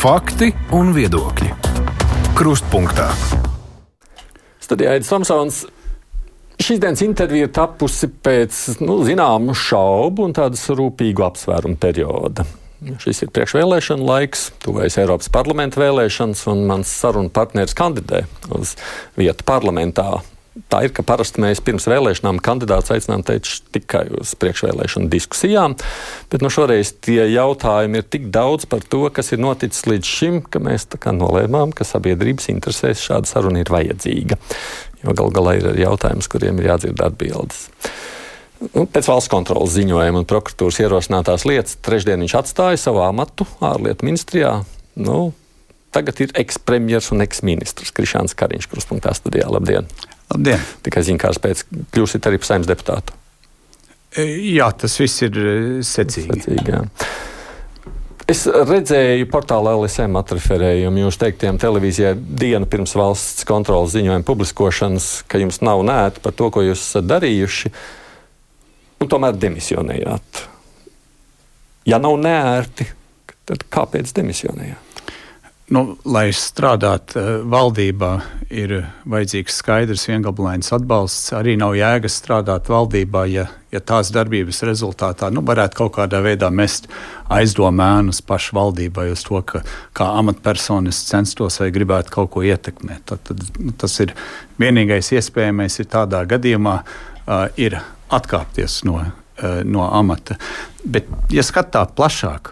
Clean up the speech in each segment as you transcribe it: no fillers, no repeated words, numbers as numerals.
Fakti un viedokļi. Krustpunktā. Studijā Aidis Tomsons. Šīs dienas intervija ir tapusi pēc zināmu šaubu un tādas rūpīgu apsvērumu perioda. Šis ir priekšvēlēšana laiks, tuvojas Eiropas parlamenta vēlēšanas, un mans sarunu partneris kandidē uz vietu parlamentā. Tā ir, ka parasti mēs pirms vēlēšanām kandidātus aicinām tikai uz priekšvēlēšanu diskusijām, bet šoreiz tie jautājumi ir tik daudz par to, kas ir noticis līdz šim, ka mēs nolēmām, ka sabiedrības interesēs šāda saruna ir vajadzīga. Jo gal galā ir jautājums, kuriem ir jādzird atbildes. Pēc valsts kontrolas ziņojuma un prokuratūras ierosinātās lietas trešdien viņš atstāja savu amatu ārlietu ministrijā. Tagad ir ekspremjers un eksministrs Krišjāns Kariņš Krustpunktā studijā. Labdien! Labdien! Tikai ziņkārs pēc kļūsit arī par Saeimas deputātu. Jā, tas viss ir secīgi. Jā. Es redzēju portālā LSM atreferējumu jūs teiktiem televīzijai dienu pirms valsts kontrolas ziņojuma publiskošanas, ka jums nav nēti par to, ko jūs esat darījuši, un tomēr demisionējāt. Ja nav nērti, tad kāpēc demisionējāt? Lai strādātu valdībā, ir vajadzīgs skaidrs, viengabalains atbalsts. Arī nav jēgas strādāt valdībā, ja tās darbības rezultātā varētu kaut kādā veidā mest aizdomēnus pašu valdībai uz to, ka kā amatpersonas censtos vai gribētu kaut ko ietekmēt. Tad tas ir vienīgais iespējamais ir tādā gadījumā ir atkāpties no amata. Bet, ja skatā plašāk,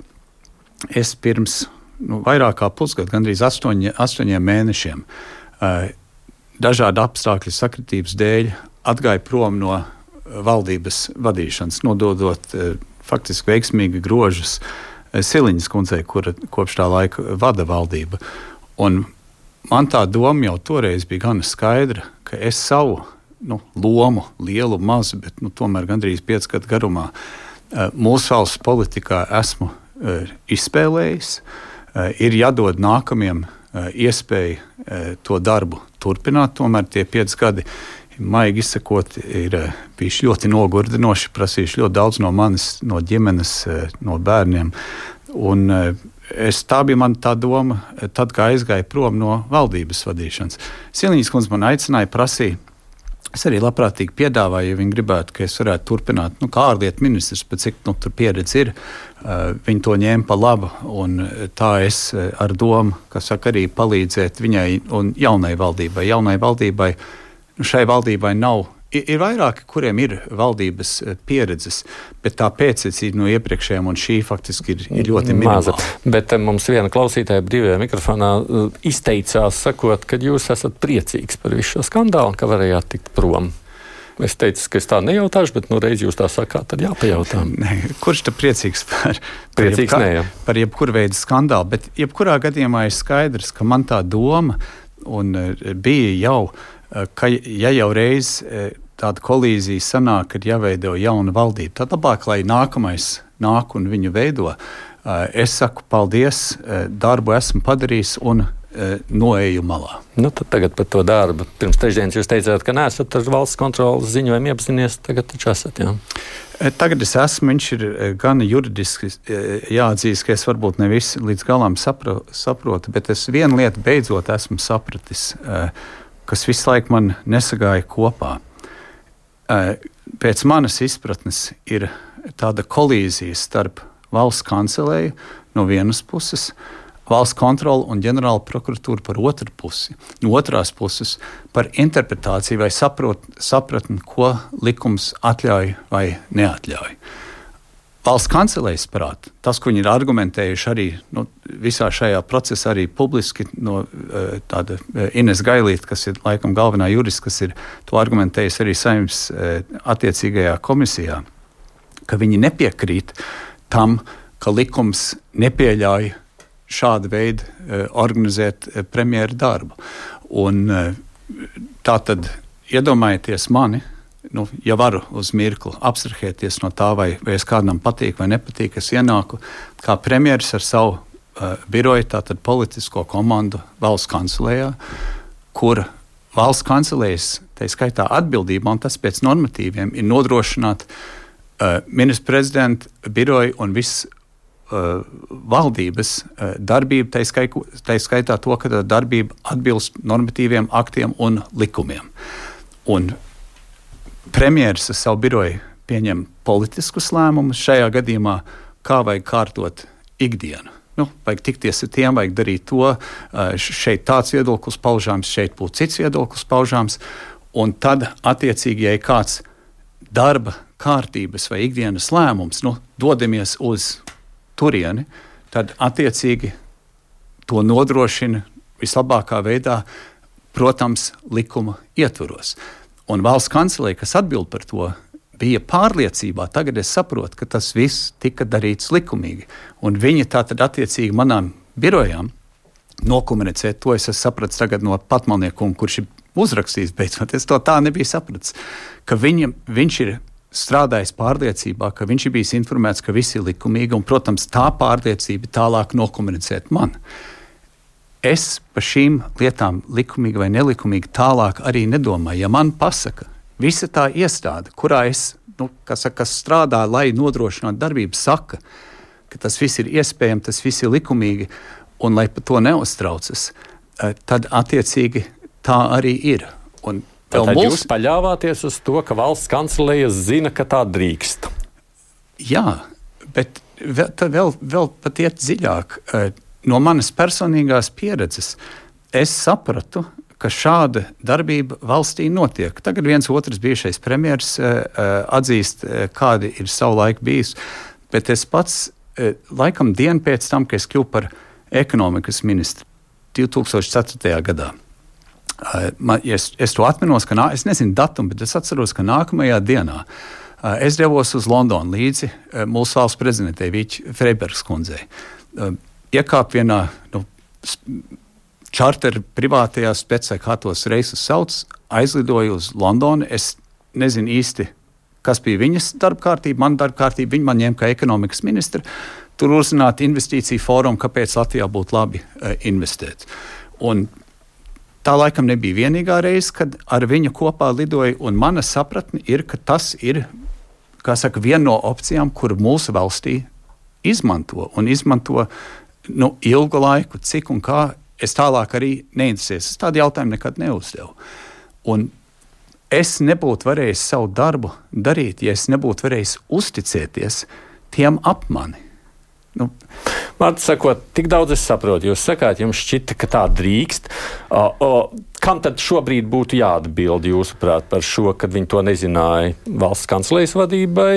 es pirms vairāk kā pusgadu, gandrīz 8 mēnešiem, dažādu apstākļu sakritības dēļ atgāju prom no valdības vadīšanas, nododot faktiski veiksmīgi grožus Siliņas kundzei, kura kopš tā laika vada valdību. Un man tā doma jau toreiz bija gana skaidra, ka es savu lomu, lielu, mazu, bet tomēr gandrīz 5 gadu garumā mūsu valsts politikā esmu izspēlējis. Ir jādod nākamajam iespēju to darbu turpināt. Tomēr tie 5 gadi, maigi izsakot, ir bijuši ļoti nogurdinoši, prasījuši ļoti daudz no manis, no ģimenes, no bērniem. Un tā bija man tā doma, tad, kā aizgāju prom no valdības vadīšanas. Siliņas kundze man aicināja, prasīja. Es arī labprātīgi piedāvāju, ja viņi gribētu, ka es varētu turpināt, kā ārlietu ministrs, bet cik tur pieredze ir, viņi to ņēma pa labu, un tā es ar domu, arī palīdzēt viņai un jaunai valdībai. Jaunai valdībai, šai valdībai nav, ir vairāki, kuriem ir valdības pieredzes, bet tā pēctecība no iepriekšējām un šī faktiski ir ļoti minimāla. Bet mums viena klausītāja brīvajā mikrofonā izteicās, sakot, ka jūs esat priecīgs par visu šo skandālu, ka varējāt tikt prom. Es teicu, ka es tā nejautāšu, bet reiz jūs tā sakāt, tad jāpajautā. Kurš tad priecīgs par jebkuru veidu skandālu, bet jebkurā gadījumā ir skaidrs, ka man tā doma un bija jau, ka ja jau reiz tāda kolīzija sanāk, kad jāveido jauna valdība, tad labāk, lai nākamais nāk un viņu veido. Es saku paldies, darbu esmu padarījis un noeju malā. Tad tagad par to darbu. Pirms trešdienas jūs teicāt, ka neesat ar valsts kontrolas ziņojumu iepazinies, tagad taču esat, jā? Tagad es esmu, viņš ir gan juridiski jāatzīst, ka es varbūt ne visi līdz galam saprotu, bet es vienu lietu beidzot esmu sapratis, kas visu laiku man nesagāja kopā. Pēc manas izpratnes ir tāda kolīzija starp valsts kancelēju no vienas puses, valsts kontroli un ģenerāla prokuratūra par otru pusi. No otrās puses par interpretāciju vai sapratni, ko likums atļauj vai neatļauj. Valsts kancelējas prāt, tas, ko viņi ir argumentējuši arī visā šajā procesā, arī publiski no tāda Ines Gailīte, kas ir laikam galvenā jurista, kas ir to argumentējusi arī Saeimas attiecīgajā komisijā, ka viņi nepiekrīt tam, ka likums nepieļauj šādu veidu organizēt premjera darbu. Un tā tad iedomājieties mani, ja varu uz mirkli abstrahēties no tā, vai es kādam patīk vai nepatīk, es ienāku kā premjeras ar savu biroju, tātad politisko komandu valsts kancelējā, kur valsts kancelējas, tā skaitā atbildība, un tas pēc normatīviem ir nodrošināt ministra prezidenta biroju un viss valdības darbība, tā skaitā to, ka tā darbība atbilst normatīviem aktiem un likumiem. Un premjeras ar savu biroju pieņem politiskus lēmumus šajā gadījumā, kā vajag kārtot ikdienu. Vajag tikties ar tiem, vajag darīt to, šeit tāds viedoklis paužāms, šeit būtu cits viedoklis paužāms, un tad attiecīgi, ja ir kāds darba kārtības vai ikdienas lēmums, dodamies uz turieni, tad attiecīgi to nodrošina vislabākā veidā, protams, likuma ietvaros. Un valsts kancelēja, kas atbild par to, bija pārliecībā, tagad es saprotu, ka tas viss tika darīts likumīgi. Un viņi tātad attiecīgi manām birojām nokomunicēt, to es sapratu tagad no Patmalniekuma, kurš ir uzrakstījis beidzot, es to tā nebiju sapratis, ka viņš ir strādājis pārliecībā, ka viņš ir bijis informēts, ka viss ir likumīgi, un, protams, tā pārliecība tālāk nokomunicēt man. Es par šīm lietām likumīgi vai nelikumīgi tālāk arī nedomāju. Ja man pasaka, visa tā iestāde, kurā es, kas strādā, lai nodrošinātu darbību, saka, ka tas viss ir iespējams, tas viss ir likumīgi, un lai par to neuztraucas, tad attiecīgi tā arī ir. Un tad jūs paļāvāties uz to, ka valsts kancelēja zina, ka tā drīkst. Jā, bet vēl pat iet dziļāk. No manas personīgās pieredzes es sapratu, ka šāda darbība valstī notiek. Tagad viens otrs bijušais premjers atzīst, kādi ir savu laiku bijis, bet es pats laikam dienu pēc tam, ka es kļuvu par ekonomikas ministru 2004. gadā. Es to atminos, es nezinu datumu, bet es atceros, ka nākamajā dienā es devos uz Londonu līdzi mūsu valsts prezidentei Vīķi Freibergas kundzei. Iekāp vienā čarter privātajā specē, kā tos reisus sauc, aizlidoju uz Londonu. Es nezinu īsti, kas bija viņas darba kārtība, man darba kārtība. Viņa man ņēma kā ekonomikas ministra. Tur uzzināt investīciju fórumu, kāpēc Latvijā būtu labi investēt. Un tā laikam nebija vienīgā reize, kad ar viņu kopā lidoja, un mana sapratne ir, ka tas ir, viena no opcijām, kuru mūsu valstī izmanto ilgu laiku, cik un kā. Es tālāk arī neinteresējos. Es tādu jautājumu nekad neuzdevu. Un es nebūtu varējis savu darbu darīt, ja es nebūtu varējis uzticēties tiem ap mani. Vārds sakot, tik daudz es saprotu. Jūs sakāt, jums šķita, ka tā drīkst. Kam tad šobrīd būtu jāatbild, jūsuprāt, par šo, kad viņi to nezināja valsts kancelējas vadībai,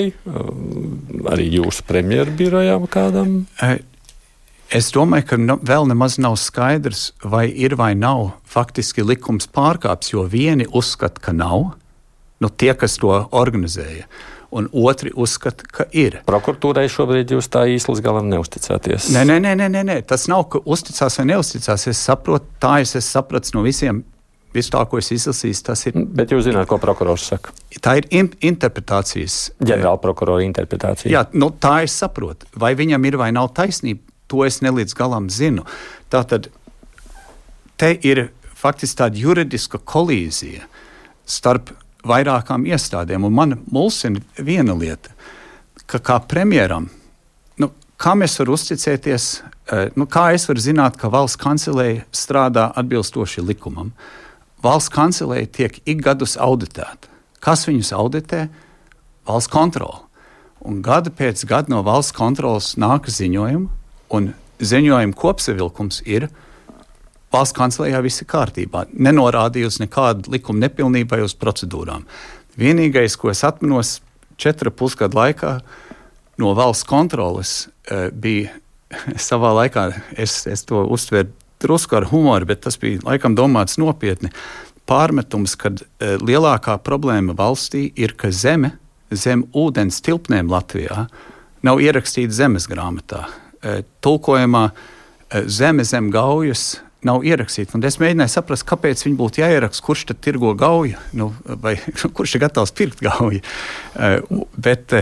arī jūsu premjeru birojām kādam? Es domāju, ka vēl nemaz nav skaidrs, vai ir vai nav faktiski likums pārkāps, jo vieni uzskata, ka nav, tie, kas to organizēja, un otri uzskata, ka ir. Prokuratūrai šobrīd jūs tā īsti līdz galam neusticāties? Nē. Tas nav, ka uzticās vai neusticās. Es saprotu, es sapratu no visiem, visu tā, ko es izlasīju, tas ir. Bet jūs zināt, ko prokurors saka? Tā ir interpretācijas. Ģenerāla prokurora interpretācija. Jā, tā es saprotu. Vai viņam ir vai nav taisnība, to es nelīdz galam zinu. Tātad te ir faktiski tāda juridiska kolīzija starp vairākām iestādēm, un man mulsina viena lieta, ka kā premjeram, kam es varu uzticēties, kā es varu zināt, ka valsts kancelēja strādā atbilstoši likumam. Valsts kancelēja tiek ik gadus auditēta. Kas viņus auditē? Valsts kontrole. Un gada pēc gada no valsts kontroles nāk ziņojumi, un ziņojuma kopsavilkums ir valsts kancelējā viss ir kārtībā. Nenorādīja uz nekādu likuma nepilnību vai uz procedūrām. Vienīgais, ko es atminos 4,5 gadu laikā no valsts kontroles, bija savā laikā, es to uztveru drusku ar humoru, bet tas bija laikam domāts nopietni, pārmetums, kad lielākā problēma valstī ir, ka zem ūdens tilpnēm Latvijā nav ierakstīta zemes grāmatā. Tulkojumā zeme zem gaujas nav ierakstīta. Un es mēģināju saprast, kāpēc viņi būtu jāieraksta, kurš tad tirgo gauju, vai kurš ir gatavs pirkt gauju. Bet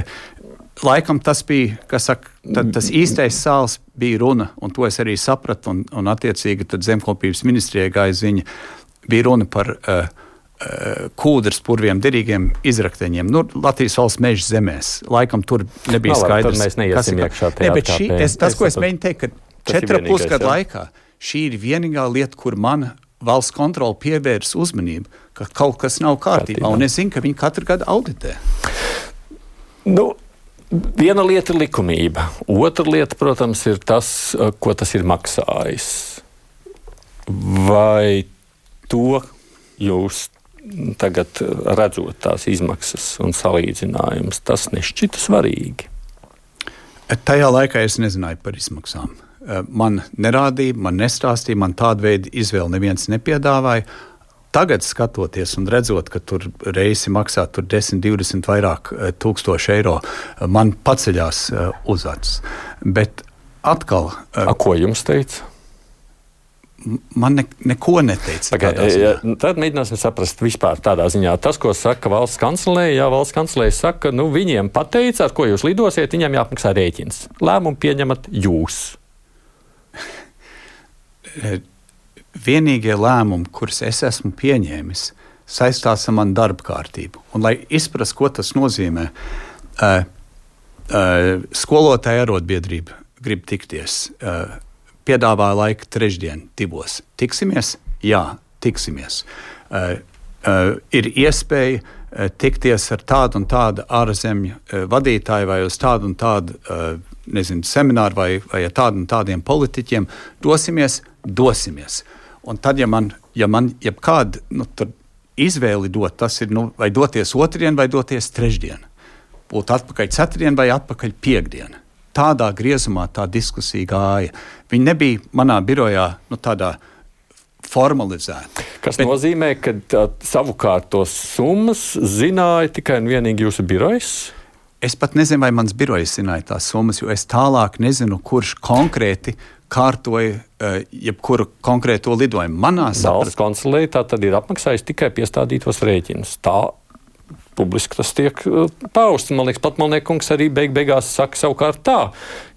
laikam tas bija, tas īstais sāls bija runa, un to es arī sapratu, un attiecīgi tad zemkopības ministrijai gāja ziņa, bija runa par kūdras purviem, derīgiem izrakteņiem, Latvijas valsts meža zemēs. Laikam tur nebija skaidrs. Tad mēs neiesim iekšā tajā atkāpē. Tas, ko es mēģinu teikt, ka 4,5 gadu laikā šī ir vienīgā lieta, kur mana valsts kontrole pievērs uzmanību, ka kaut kas nav kārtībā. Un es zinu, ka viņi katru gadu auditē. Viena lieta ir likumība. Otra lieta, protams, ir tas, ko tas ir maksājis. Vai to jūs tagad redzot tās izmaksas un salīdzinājumus, tas nešķita svarīgi? Tajā laikā es nezināju par izmaksām. Man nerādīja, man nestāstīja, man tādu veidu izvēli neviens nepiedāvāja. Tagad skatoties un redzot, ka tur reisi maksā 10, 20 vairāk tūkstoši eiro, man paceļās uz acis. Bet atkal... Ko jums teica? Man neko neteica. Tad mēģināsim saprast vispār tādā ziņā. Tas, ko saka valsts kancelēja, valsts kancelēja saka, viņiem pateica, ar ko jūs lidosiet, viņiem jāapmaksā rēķins. Lēmumu pieņemat jūs. Vienīgie lēmumi, kurus es esmu pieņēmis, saistās ar manu darba kārtību. Un, lai izprast, ko tas nozīmē, skolotāja arotbiedrība grib tikties. Piedāvāja laiku trešdien, 2. Tiksimies? Jā, tiksimies. Ir iespēja tikties ar tādu un tādu ārzemju vadītāju vai uz tādu un tādu semināru vai ar tādu un tādiem politiķiem. Dosimies. Un tad, ja man jebkāda izvēli dot, tas ir vai doties otrdien vai doties trešdien. Būt atpakaļ ceturtdien vai atpakaļ piekdien. Tādā griezumā tā diskusija gāja. Viņa nebija manā birojā tādā formalizēta. Kas nozīmē, ka savukārt tos summas zināja tikai un vienīgi jūsu birojs? Es pat nezinu, vai mans birojs zināja tās summas, jo es tālāk nezinu, kurš konkrēti kārtoja jebkuru konkrēto lidojumu. Valsts kancelēja tā tad ir apmaksājis tikai piestādītos rēķinus. Tā publiski tas tiek pausts. Man liekas, pat Malniekungs arī beigās saka savukārt tā,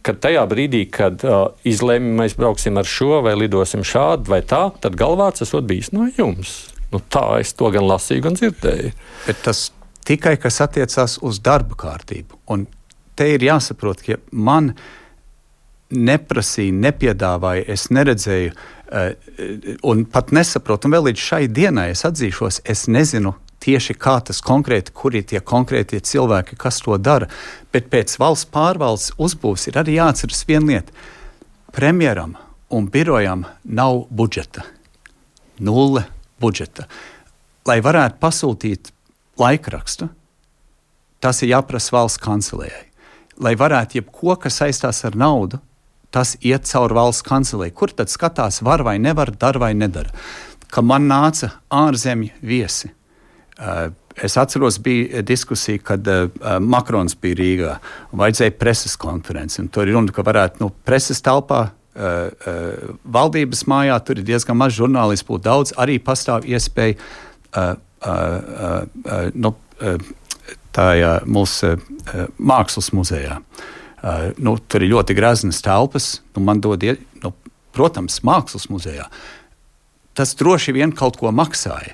ka tajā brīdī, kad izlēma mēs brauksim ar šo vai lidosim šādu vai tā, tad galvārds esot bijis no jums. Tā es to gan lasīju, gan dzirdēju. Bet tas tikai, kas attiecās uz darba kārtību. Un te ir jāsaprot, ka man neprasīja, nepiedāvāja, es neredzēju un pat nesaprotu. Un vēl līdz šai dienai es atzīšos, es nezinu tieši kā tas konkrēti, kur ir tie konkrētie cilvēki, kas to dara. Bet pēc valsts pārvaldes uzbūves ir arī jāatceras viena lieta. Premjeram un birojam nav budžeta. 0 budžeta. Lai varētu pasūtīt laikrakstu, tas ir jāprasa valsts kancelējai. Lai varētu jebko, kas saistās ar naudu, tas iet caur valsts kancelei. Kur tad skatās, var vai nevar, dara vai nedara. Ka man nāca ārzemju viesi. Es atceros, bija diskusija, kad Makrons bija Rīgā un vajadzēja preses konferenci. Un tur ir runa, ka varētu preses telpā, valdības mājā, tur ir diezgan maz žurnālistu, būtu daudz, arī pastāv iespēja mūsu mākslas muzejā. Tur ir ļoti greznas telpas, man dod, protams, mākslas muzejā. Tas droši vien kaut ko maksāja.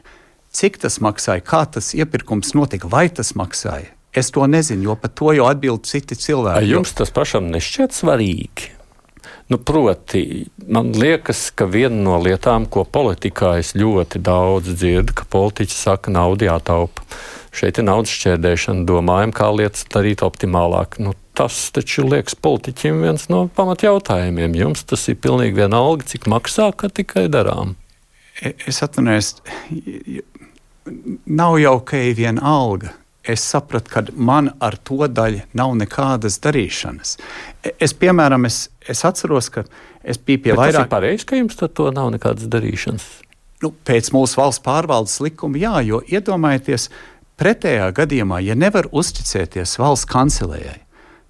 Cik tas maksāja, kā tas iepirkums notika, vai tas maksāja? Es to nezinu, jo par to jau atbild citi cilvēki. Jums tas pašam nešķiet svarīgi? Proti, man liekas, ka viena no lietām, ko politikā es ļoti daudz dzirdu, ka politiķi saka, naudu jātaupa. Šeit ir naudas šķērdēšana, domājam, kā lietas darīt optimālāk. Tas taču liekas politiķim viens no pamatjautājumiem. Jums tas ir pilnīgi vienalga, cik maksā, ka tikai darām. Es atvainojos, nav jau ka ir viena alga. Es sapratu, ka man ar to daļu nav nekādas darīšanas. Piemēram, es atceros, ka es biju pie vairāk... Tas ir pareizi, ka jums ar to nav nekādas darīšanas? Pēc mūsu valsts pārvaldes likuma, jā, jo iedomājieties, pretējā gadījumā, ja nevar uzticēties valsts kancelējai,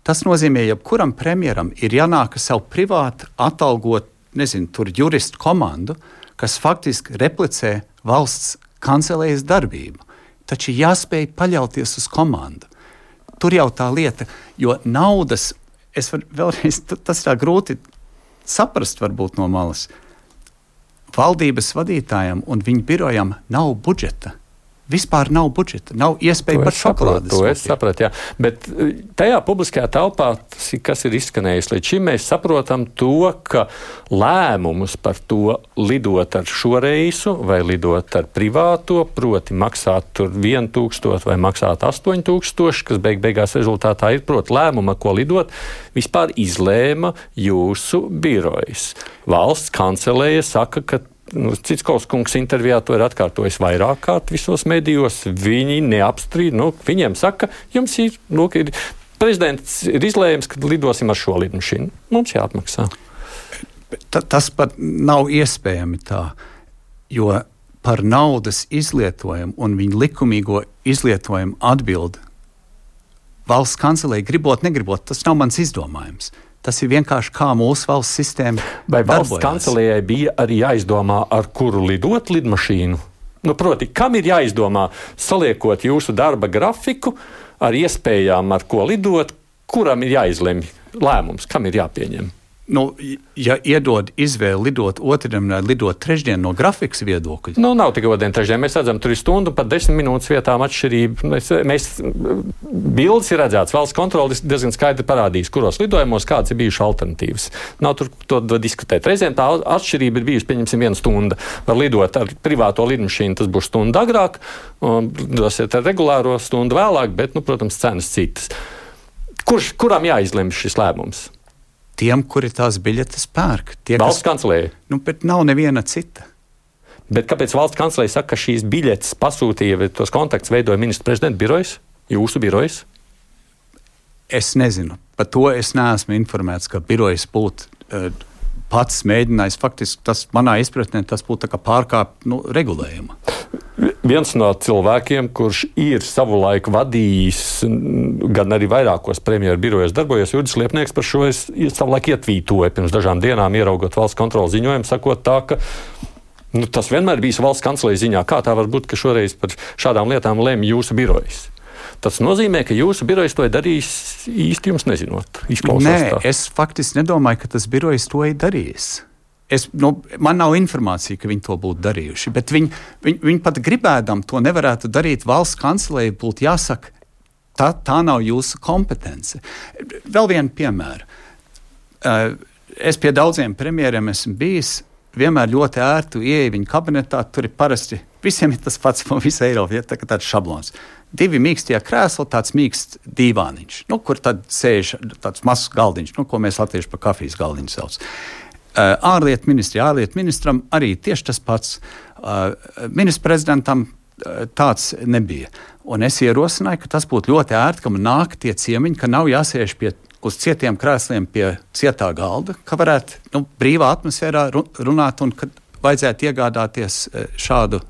tas nozīmē, ja kuram premjeram ir jānāk savu privātu atalgot, tur juristu komandu, kas faktiski replicē valsts kancelējas darbību. Taču jāspēj paļauties uz komandu. Tur jau tā lieta, jo naudas, vēlreiz, tas tā grūti saprast varbūt no malas. Valdības vadītājam un viņa birojam nav budžeta. Vispār nav budžeta, nav iespēja pat šokolādes. To es sapratu, jā. Bet tajā publiskajā telpā, kas ir izskanējis līdz šim, mēs saprotam to, ka lēmumus par to lidot ar šo reisu vai lidot ar privāto, proti maksāt tur 1000 vai maksāt 8000, kas beigās rezultātā ir, proti lēmumu, ko lidot, vispār izlēma jūsu birojas. Valsts kancelēja saka, ka Citskovs kungs intervijā to ir atkārtojis vairāk kārt visos medijos. Viņi neapstrīd, viņiem saka, jums ir prezidents ir izlēms, ka lidosim ar šo lidmašīnu. Mums jāatmaksā. Tas pat nav iespējami tā, jo par naudas izlietojumu un viņu likumīgo izlietojumu atbild valsts kancelei gribot, negribot. Tas nav mans izdomājums. Tas ir vienkārši kā mūsu valsts sistēma darbojās. Vai valsts kancelējai bija arī jāizdomā, ar kuru lidot lidmašīnu? Proti, kam ir jāizdomā, saliekot jūsu darba grafiku ar iespējām, ar ko lidot, kuram ir jāizlemj lēmums, kam ir jāpieņem? Ja iedod izvēli lidot otrdien vai lidot trešdien no grafikas viedokļa. Nav tikai otrdien, trešdien. Mēs redzam, tur ir stundu pat 10 minūtes vietām atšķirība. Bildes ir redzēts, valsts kontrole diezgan skaidri parādījis, kuros lidojumos kādas ir bijušas alternatīvas. Nav tur to diskutēt. Reizēm tā atšķirība ir bijusi, pieņemsim, 1 stunda. Var lidot ar privāto lidmašīnu, tas būs stunda agrāk, lidosiet ar regulāro stundu vēlāk, bet, protams, cenas citas. Kuram jāizlemj šis lēmums? Tiem, kuri tās biļetes pērk. Valsts kancelēja? Bet nav neviena cita. Bet kāpēc valsts kancelēja saka, ka šīs biļetes pasūtīja, vai tos kontaktus veidoja ministra prezidenta birojas, jūsu birojas? Es nezinu. Par to es neesmu informēts, ka birojas būtu pats mēģinājis. Faktiski tas manā izpratnē tas būtu pārkāpt regulējumu. Viens no cilvēkiem, kurš ir savulaik vadījis, gan arī vairākos premjeru birojos darbojies, Juris Liepnieks, par šo es savulaik ietvītoju pirms dažām dienām, ieraugot valsts kontroles ziņojumu, sakot tā, ka tas vienmēr bijis valsts kancelējas ziņā. Kā tā var būt, ka šoreiz par šādām lietām lemj jūsu birojas? Tas nozīmē, ka jūsu birojas to ir darījis īsti jums nezinot. Nē, es faktiski nedomāju, ka tas birojas to ir darījis. Man nav informācija, ka viņi to būtu darījuši, bet viņi pat gribēdam to nevarētu darīt. Valsts kancelei būtu jāsaka, tā nav jūsu kompetence. Vēl vienu piemēru. Es pie daudziem premjeriem esmu bijis, vienmēr ļoti ērtu ieeju viņa kabinetā, tur ir parasti, visiem ir tas pats pa visu Eiropu, tā kā tāds šablons. 2 mīkstie krēsli, tāds mīksts dīvāniņš, kur tad sēž tāds mazs galdiņš, ko mēs latvieši par kafijas galdiņu sauc. Ārlietu ministram arī tieši tas pats. Ministra prezidentam tāds nebija. Un es ierosināju, ka tas būtu ļoti ērti, ka man nāk tie ciemiņi, ka nav jāsēž uz cietiem krēsliem pie cietā galda, ka varētu brīvā atmosfērā runāt un kad vajadzētu iegādāties šādu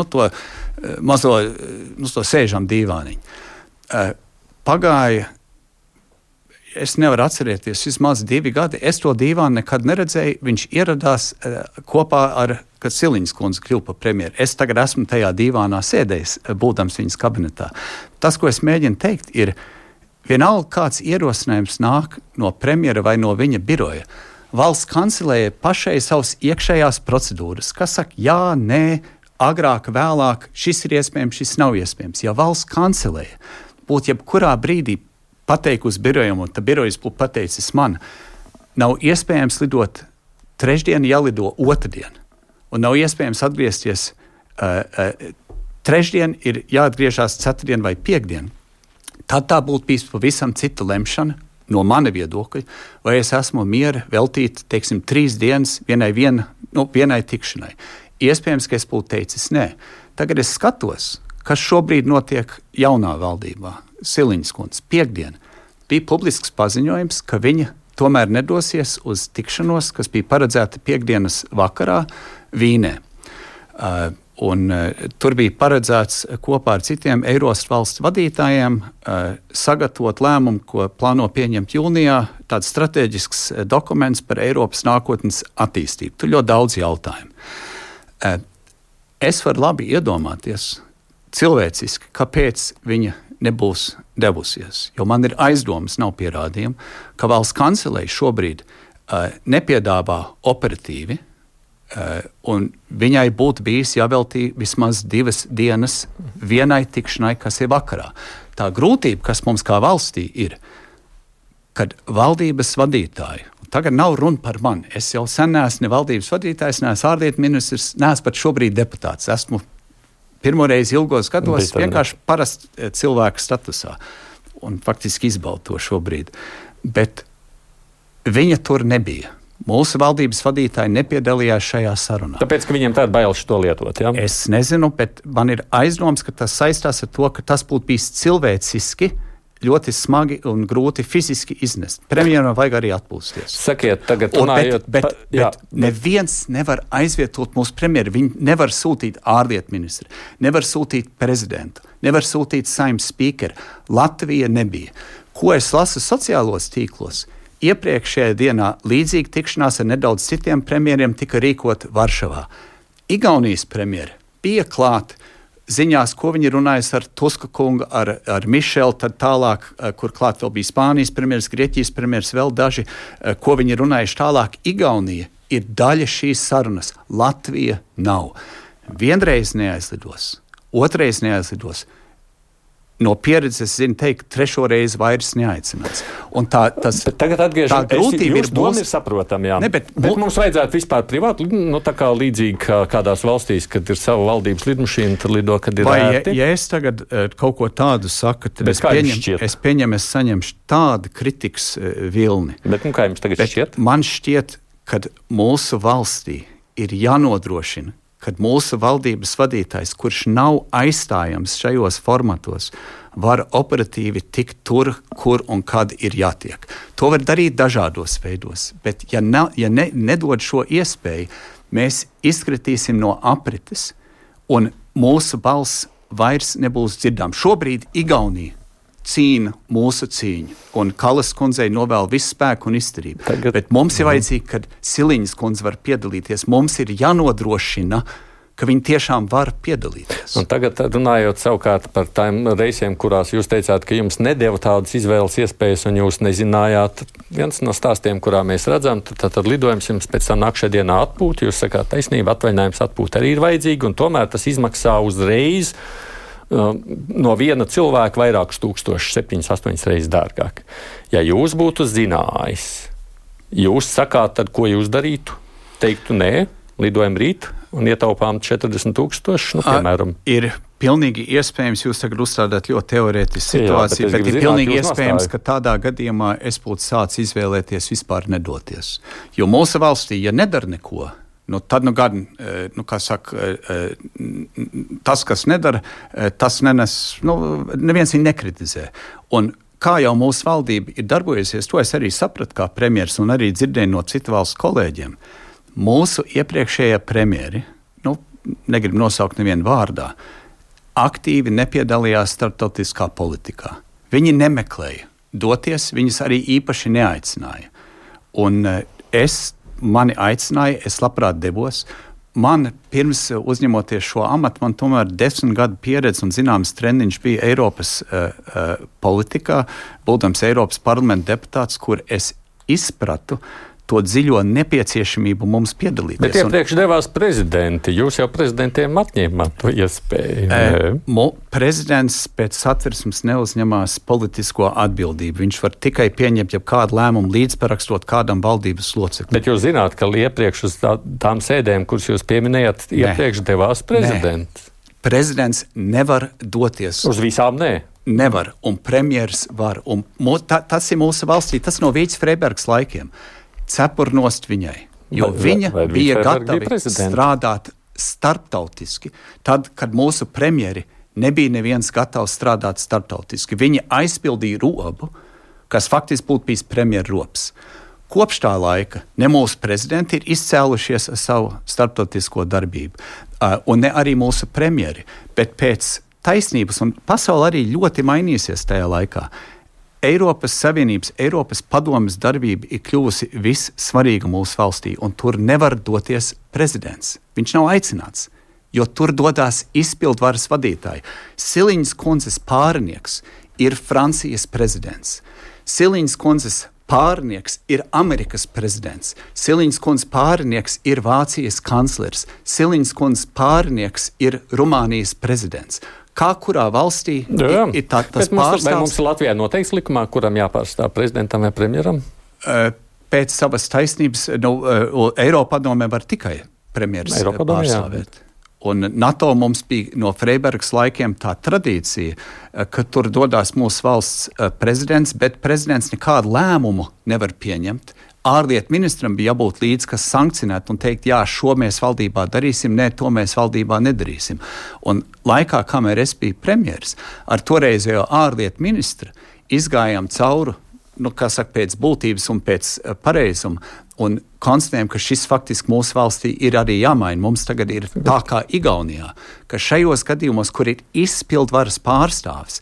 to mazo to sēžam dīvāniņu. Pagāja, es nevaru atcerēties, vismaz 2 gadi. Es to dīvānu nekad neredzēju. Viņš ieradās kopā ar, kad Siliņas kundze kļuva par premjeru. Es tagad esmu tajā dīvānā sēdējis, būdams viņas kabinetā. Tas, ko es mēģinu teikt, ir vienalga kāds ierosinājums nāk no premjera vai no viņa biroja. Valsts kancelēja pašai savas iekšējās procedūras, kas saka, jā, nē, agrāk, vēlāk, šis ir iespējams, šis nav iespējams. Ja valsts kancelēja būtu jebkurā brīdī pateikusi birojam, un tā birojas būtu pateicis man, nav iespējams lidot trešdien, jālido otrdien. Un nav iespējams atgriezties trešdien, ir jāatgriežās ceturtdien vai piekdien. Tad tā būtu bijis pavisam cita lemšana no mana viedokļa, vai es esmu miera veltīt, 3 dienas vienai tikšanai. Iespējams, ka es būtu teicis nē. Tagad es skatos, kas šobrīd notiek jaunā valdībā. Siliņas kundze piekdien bija publisks paziņojums, ka viņa tomēr nedosies uz tikšanos, kas bija paredzēta piekdienas vakarā Vīnē. Tur bija paredzēts kopā ar citiem Eiropas valstu vadītājiem sagatavot lēmumu, ko plāno pieņemt jūnijā, tāds strateģisks dokuments par Eiropas nākotnes attīstību. Tur ļoti daudz jautājumu. Es varu labi iedomāties cilvēciski, kāpēc viņa nebūs devusies. Jo man ir aizdomas, nav pierādījumi, ka valsts kancelei šobrīd nepiedāvā operatīvi Un viņai būtu bijis jāveltī vismaz 2 dienas vienai tikšanai, kas ir vakarā. Tā grūtība, kas mums kā valstī ir, kad valdības vadītāji, tagad nav runa par mani, es jau sen neesmu ne valdības vadītājs, neesmu ārlietu ministrs, neesmu pat šobrīd deputāts, esmu pirmoreiz ilgos gados vienkārši parasts cilvēka statusā un faktiski izbaudu to šobrīd. Bet viņa tur nebija. Mūsu valdības vadītāji nepiedalījās šajā sarunā. Tāpēc, ka viņiem tāda baila šo lietot, jā? Es nezinu, bet man ir aizdoms, ka tas saistās ar to, ka tas būtu bijis cilvēciski, ļoti smagi un grūti fiziski iznest. Premjeram vajag arī atpūsties. Sakiet, tagad runājot... Bet neviens nevar aizvietot mūsu premjeru. Viņi nevar sūtīt ārlietu ministru, nevar sūtīt prezidentu, nevar sūtīt Saeimas spīkeru. Latvija nebija. Ko es lasu sociālos tīklos? Iepriekšējā dienā līdzīga tikšanās ar nedaudz citiem premjeriem tika rīkota Varšavā. Igaunijas premjeri bija klāt ziņās, ko viņi runājas ar Tuska kungu, ar Mišelu, tad tālāk, kur klāt vēl bija Spānijas premjeras, Grieķijas premjeras, vēl daži, ko viņi runājuši tālāk. Igaunija ir daļa šīs sarunas. Latvija nav. Vienreiz neaizlidos, otrais neaizlidos. No pieredzes zinu teikt, 3. reizi vairs neaicinās. Un tagad atgriežamies, jūsu doma ir saprotama, jā. Bet mums vajadzētu vispār privāti, tā kā līdzīgi kādās valstīs, kad ir sava valdības lidmašīna, tad lido, kad ir ērti. Ja es tagad kaut ko tādu saku, tad es saņemšu tādu kritikas vilni. Bet kā jums tagad šķiet? Man šķiet, ka mūsu valstī ir jānodrošina, kad mūsu valdības vadītājs, kurš nav aizstājams šajos formatos, var operatīvi tikt tur, kur un kad ir jātiek. To var darīt dažādos veidos, bet ja nedod šo iespēju, mēs izkritīsim no aprites un mūsu balss vairs nebūs dzirdām. Šobrīd Igaunija cīna mūsu cīņu, un Kalas kundzei novēl visu spēku un izturību. Bet mums ir vajadzīgi, kad Siliņas kundze var piedalīties, mums ir jānodrošina, ka viņi tiešām var piedalīties. Un tagad runājot savukārt par tām reisiem, kurās jūs teicāt, ka jums nedeva tādas izvēles iespējas, un jūs nezinājāt, viens no stāstiem, kurā mēs redzam, tad lidojums jums pēc tam nākšajā dienā atpūta, jūs sakāt taisnība, atvaļinājums atpūta arī ir vajadzīgi, un tomēr tas izmaksā uzreiz no viena cilvēka vairākus tūkstošus, 7-8 reizes dārgāk. Ja jūs būtu zinājis, jūs sakāt, tad ko jūs darītu? Teiktu nē, lidojam rīt un ietaupām 40,000, piemēram. Ir pilnīgi iespējams, jūs tagad uzstādāt ļoti teorētisku situāciju, bet ir pilnīgi iespējams, ka tādā gadījumā es būtu sācis izvēlēties vispār nedoties. Jo mūsu valstī, ja nedara neko, tad gan, kā saka, tas, kas nedara, tas nenes, neviens viņu nekritizē. Un kā jau mūsu valdība ir darbojusies, to es arī sapratu kā premjeras un arī dzirdēju no citu valstu kolēģiem. Mūsu iepriekšējie premjeri, negribu nosaukt nevienu vārdā, aktīvi nepiedalījās starptautiskā politikā. Viņi nemeklēja doties, viņus arī īpaši neaicināja. Un mani aicināja, es labprāt devos. Man pirms uzņemoties šo amatu, man tomēr 10 gadu pieredze un zināms treniņš bija Eiropas politikā, būdams Eiropas parlamenta deputāts, kur es izpratu to dziļo nepieciešamību mums piedalīties. Bet iepriekš devās prezidenti. Jūs jau prezidentiem atņēmāt to iespēju. Prezidents pēc satversmes neuzņemās politisko atbildību. Viņš var tikai pieņemt kādu lēmumu līdzparakstot kādam valdības loceklim. Bet jūs zināt, ka iepriekš uz tām sēdēm, kuras jūs pieminējāt, iepriekš devās prezidents. Prezidents nevar doties. Uz visām nē. Nevar, un premjers var. Un tas ir mūsu valstī, tas no Vīts Freibergas laikiem. Cepurnost viņai, jo viņa bija gatava strādāt starptautiski. Tad, kad mūsu premjeri nebija neviens gatavs strādāt starptautiski, viņi aizpildīja robu, kas faktiski būtu bijis premjeru robs. Kopš tā laika ne mūsu prezidenti ir izcēlušies ar savu starptautisko darbību, un ne arī mūsu premjeri, bet pēc taisnības, un pasaule arī ļoti mainīsies tajā laikā. Eiropas Savienības, Eiropas padomes darbība ir kļuvusi vissvarīga mūsu valstī, un tur nevar doties prezidents. Viņš nav aicināts, jo tur dodās izpildvaras vadītāji. Siliņas kundzes pārinieks ir Francijas prezidents. Siliņas kundzes pārnieks ir Amerikas prezidents, Siliņas kundzes pārnieks ir Vācijas kanclers, Siliņas kundzes pārnieks ir Rumānijas prezidents. Kā kurā valstī ir tas pārstāvs? Vai mums Latvijā noteikts likumā, kuram jāpārstāv prezidentam vai premjeram? Pēc savas taisnības Eiropadomē var tikai premjeras pārstāvēt. Un NATO mums bija no Freibergas laikiem tā tradīcija, ka tur dodās mūsu valsts prezidents, bet prezidents nekādu lēmumu nevar pieņemt. Ārlietu ministram bija jābūt līdz, kas sankcionētu un teikt, jā, šo mēs valdībā darīsim, nē, to mēs valdībā nedarīsim. Un laikā, kamēr es biju premjeras, ar toreizējo ārlietu ministru izgājām cauri, pēc būtības un pēc pareizuma, un konstatējam, ka šis faktiski mūsu valstī ir arī jāmaina. Mums tagad ir tā kā Igaunijā, ka šajos gadījumos, kur ir izpildvaras pārstāvs,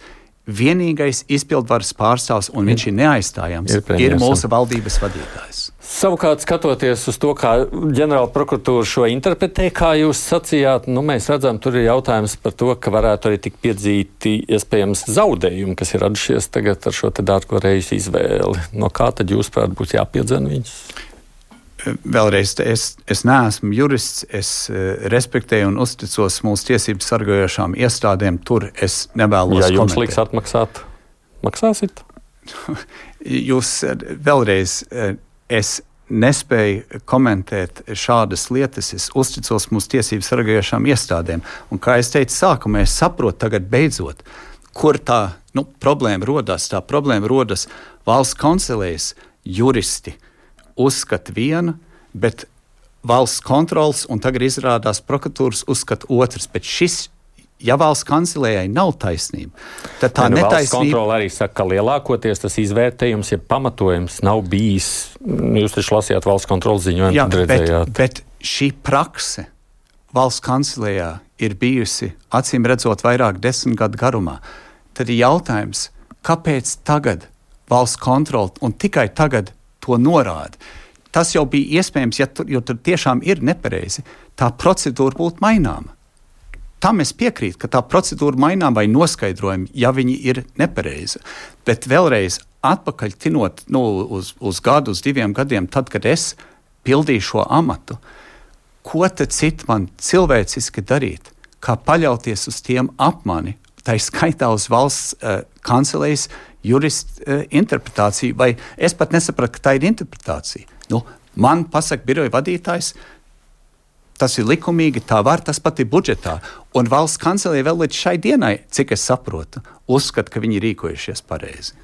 vienīgais izpildvaras pārstāvs, un viņš ir neaizstājams, ir mūsu valdības vadītājs. Savukārt, skatoties uz to, kā ģenerāla prokuratūra šo interpretē, kā jūs sacījāt, mēs redzam, tur ir jautājums par to, ka varētu arī tik piedzīti iespējams zaudējumi, kas ir radušies tagad ar šo te dārgo reisu izvēli. No kā tad jūs, prāt, būs jāpiedzen viņus? Vēlreiz, es neesmu jurists, es respektēju un uzticos mūsu tiesību sargājošām iestādēm, tur es nevēlos komentēt. Ja jums liks atmaksāt, maksāsit? Jūs vēlreiz, es nespēju komentēt šādas lietas, es uzticos mūsu tiesību sargājošām iestādēm, un kā es teicu sākumā, es saprotu tagad beidzot, kur tā problēma rodas. Tā problēma rodas valsts kancelējas juristi uzskata vienu, bet valsts kontrols un tagad izrādās prokuratūras uzskata otrs. Bet šis, ja valsts kancelējai nav taisnība, tad tā netaisnība... Valsts kontrola arī saka, ka lielākoties tas izvērtējums, ja pamatojums nav bijis. Jūs taču lasījāt valsts kontrolas ziņojumu, tad redzējāt. Bet šī prakse valsts kancelējā ir bijusi, acīm redzot, vairāk 10 gadu garumā. Tad ir jautājums, kāpēc tagad valsts kontrola un tikai tagad to norāda. Tas jau bija iespējams, jo tur tiešām ir nepareizi. Tā procedūra būtu maināma. Tam es piekrītu, ka tā procedūra mainām vai noskaidrojumi, ja viņi ir nepareizi. Bet vēlreiz atpakaļ tinot uz gadu, uz 2 gadiem, tad, kad es pildīju šo amatu, ko tad citu man cilvēciski darīt, kā paļauties uz tiem apmani, tā skaitā uz valsts kancelējas juristu interpretāciju, vai es pat nesapratu, ka tā ir interpretācija. Man pasaka biroja vadītājs, tas ir likumīgi, tā var, tas pat ir budžetā. Un valsts kancelēja vēl līdz šai dienai, cik es saprotu, uzskata, ka viņi rīkojušies pareizi.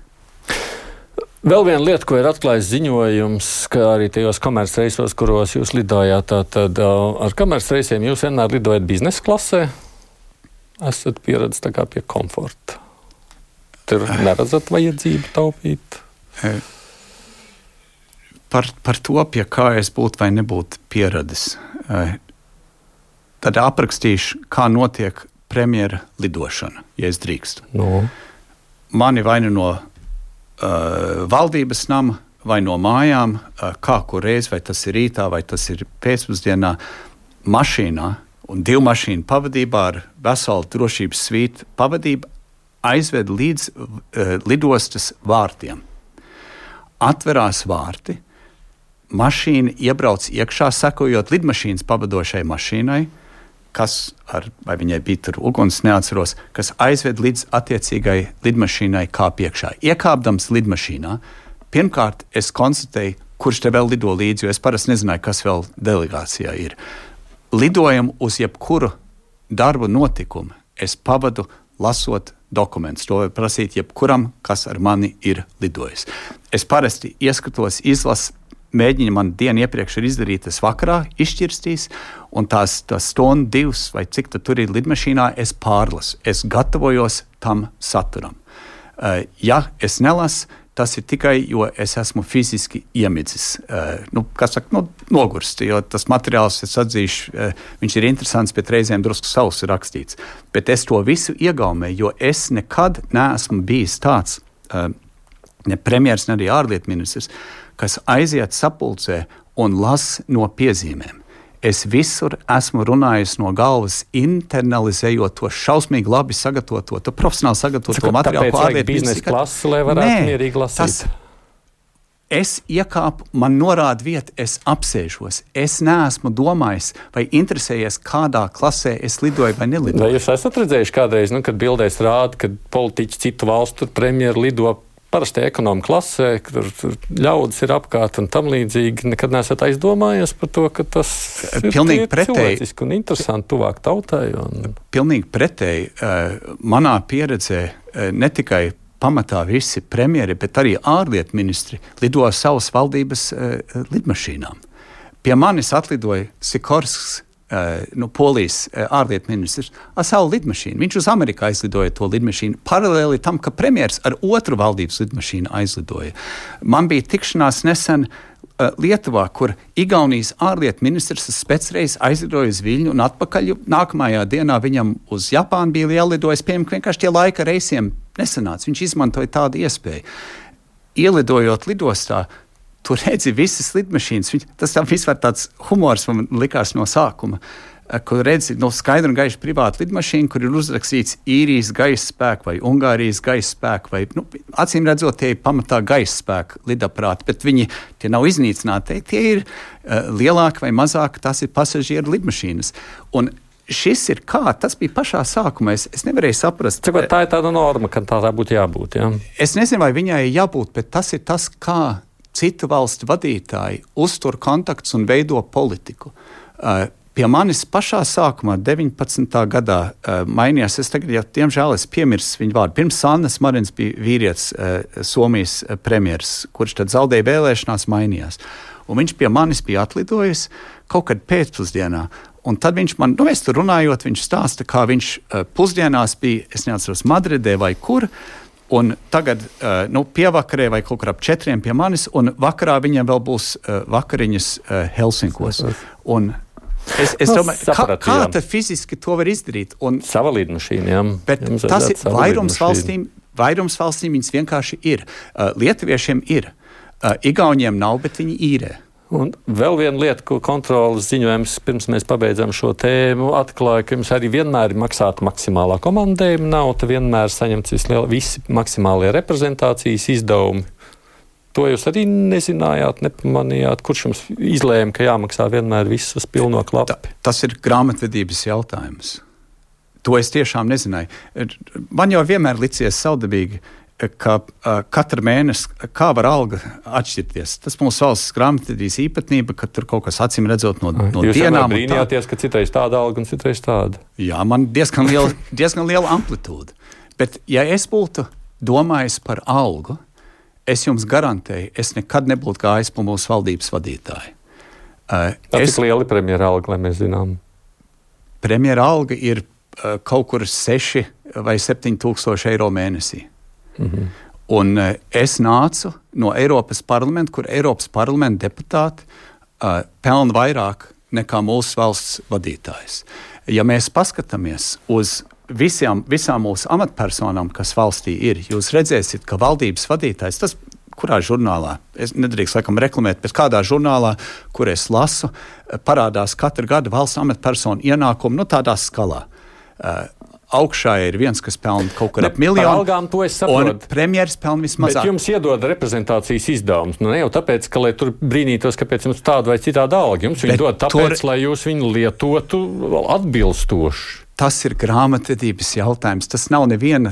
Vēl viena lieta, ko ir atklājis ziņojums, ka arī tajos komercreisos, kuros jūs lidojāt, tad ar komercreisiem jūs vienmēr lidojat biznesa klasē, esat pieredzis tā kā pie komforta. Tur neredzat vajadzību taupīt? Par to, pie kā es būtu vai nebūtu pieradis. Tad aprakstīšu, kā notiek premjera lidošana, ja es drīkstu. Mani vai no valdības nama, vai no mājām, kā kur reiz, vai tas ir rītā, vai tas ir pēcpusdienā, mašīnā un 2 mašīnu pavadībā ar veselu drošības svītu pavadību aizved līdz lidostas vārtiem. Atverās vārti, mašīna iebrauc iekšā, sekojot lidmašīnas pavadošai mašīnai, vai viņai bija tur uguns, neatceros, kas aizved līdz attiecīgai lidmašīnai kāp iekšā. Iekāpdams lidmašīnā, pirmkārt es konstatēju, kurš te vēl lido līdzi, jo es parasti nezināju, kas vēl delegācijā ir. Lidojam uz jebkuru darbu notikumu. Es pavadu lasot dokumentus. To var prasīt jebkuram, kas ar mani ir lidojis. Es parasti ieskatos, izlasu, mēģinu man dienu iepriekš ir izdarītas vakarā, izšķirstīs, un tās stundu 2 vai cik tur ir lidmašīnā, es pārlasu. Es gatavojos tam saturam. Ja es nelasu, tas ir tikai, jo es esmu fiziski iemidzis, nogurst, jo tas materiāls, es atzīšu, viņš ir interesants, bet reizēm drusku savs ir rakstīts. Bet es to visu iegaumēju, jo es nekad neesmu bijis tāds, ne premjers, ne arī ārlietu ministrs, kas aiziet sapulcē un las no piezīmēm. Es visur esmu runājis no galvas, internalizējot to šausmīgi labi sagatavoto, to profesionāli sagatavoto materiālu. Tāpēc vajag biznesa klasi, lai varētu mierīgi lasīt. Es iekāpu, man norāda vieta, es apsēžos. Es neesmu domājis vai interesējies, kādā klasē es lidoju vai nelidoju. Vai jūs esat redzējuši kādreiz, kad bildēs rāda, kad politiķi citu valstu premjeri lido parasti ekonomu klasē, kur ļaudis ir apkārt un tam līdzīgi? Nekad neesat aizdomājies par to, ka tas ir cilvēciski un interesanti tuvāk tautai? Pilnīgi pretēji. Manā pieredzē ne tikai pamatā visi premjeri, bet arī ārlietu ministri lido savas valdības lidmašīnām. Pie manis atlidoja Sikorsks, Polijas ārlietu ministrs, ar savu lidmašīnu. Viņš uz Ameriku aizlidoja to lidmašīnu paralēli tam, ka premjers ar otru valdības lidmašīnu aizlidoja. Man bija tikšanās nesen Lietuvā, kur Igaunijas ārlietu ministrs spēcreiz aizlidoja uz Viļņu un atpakaļ. Nākamajā dienā viņam uz Japānu bija jālidojas, piemēram, vienkārši tie laika reisiem nesanāca. Viņš izmantoja tādu iespēju. Ielidojot lidostā, tur redzi visas lidmašīnas. Tas vispār tāds humors man likās no sākuma, kur redzi skaidru un gaišu privātu lidmašīnu, kur ir uzrakstīts Īrijas gaisa spēku vai Ungārijas gaisa spēku, vai acīm redzot, tie ir pamatā gaisa spēku lidaprāti, bet tie nav iznīcināti. Tie ir lielāki vai mazāki, tas ir pasažieru lidmašīnas. Un šis ir tas bija pašā sākumā. Es nevarēju saprast. Cik tā ir tāda norma, ka tā būtu jābūt? Ja? Es nezinu, vai viņai jābūt, bet tas ir tas, kā citu valstu vadītāji uztur kontaktus un veido politiku. Pie manis pašā sākumā, 19. gadā, mainījās. Es tagad, diemžēl, piemirsu viņu vārdu. Pirms Sannas Marins bija vīrietis, Somijas premjers, kurš tad zaudēja vēlēšanās, mainījās. Un viņš pie manis bija atlidojis kaut kad pēcpusdienā. Un tad viņš man, mēs tur runājot, viņš stāsta, kā viņš pusdienās bija, es neatceros, Madridē vai kur, un tagad pievakarē vai kaut kur ap 4 pie manis, un vakarā viņam vēl būs vakariņas Helsinkos. Un es domāju, kā tad fiziski to var izdarīt? Sava lidmašīna, jā. Bet tas ir vairums valstīm viņas vienkārši ir. Lietuviešiem ir. Igauņiem nav, bet viņi īrē. Un vēl viena lieta, ko kontrolas ziņojums, pirms mēs pabeidzam šo tēmu, atklāja, ka jums arī vienmēr ir maksāta maksimālā komandējuma nauda, vienmēr saņemts visi maksimālie reprezentācijas izdevumi. To jūs arī nezinājāt, nepamanījāt, kurš jums izlēma, ka jāmaksā vienmēr visas pilno klapi? Tas ir grāmatvedības jautājums. To es tiešām nezināju. Man jau vienmēr licies saudabīgi, ka katru mēnesi, kā var alga atšķirties. Tas mūsu valsts grāmatvedības īpatnība, ka tur kaut kas acīm redzot no dienām. Jūs vienmēr brīnījāties, ka citreiz tāda alga un citreiz tāda? Jā, man diezgan liela amplitūda. Bet ja es būtu domājis par algu, es jums garantēju, es nekad nebūtu gājis pa mūsu valdības vadītāju. Cik liela ir premjera alga, lai mēs zinām? Premjera alga ir kaut kur 6 vai 7 tūkstoši eiro mēnesī. Mm-hmm. Un es nācu no Eiropas parlamenta, kur Eiropas parlamenta deputāti pelna vairāk nekā mūsu valsts vadītājs. Ja mēs paskatāmies uz visām mūsu amatpersonām, kas valstī ir, jūs redzēsiet, ka valdības vadītājs, tas kurā žurnālā, es nedrīkst laikam reklamēt, bet kādā žurnālā, kur es lasu, parādās katru gadu valsts amatpersonu ienākumu, tādā skalā. Augšā ir viens, kas pelna kaut kur ap 1 miljonu. Par algām to es saprotu. Un premjeras pelna vismazāk. Bet jums iedod reprezentācijas izdevumus. Ne jau tāpēc, ka lai tur brīnītos, kāpēc jums tāda vai citāda alga. Jums viņi dod tāpēc, lai jūs viņu lietotu atbilstoši. Tas ir grāmatvedības jautājums. Tas nav neviena.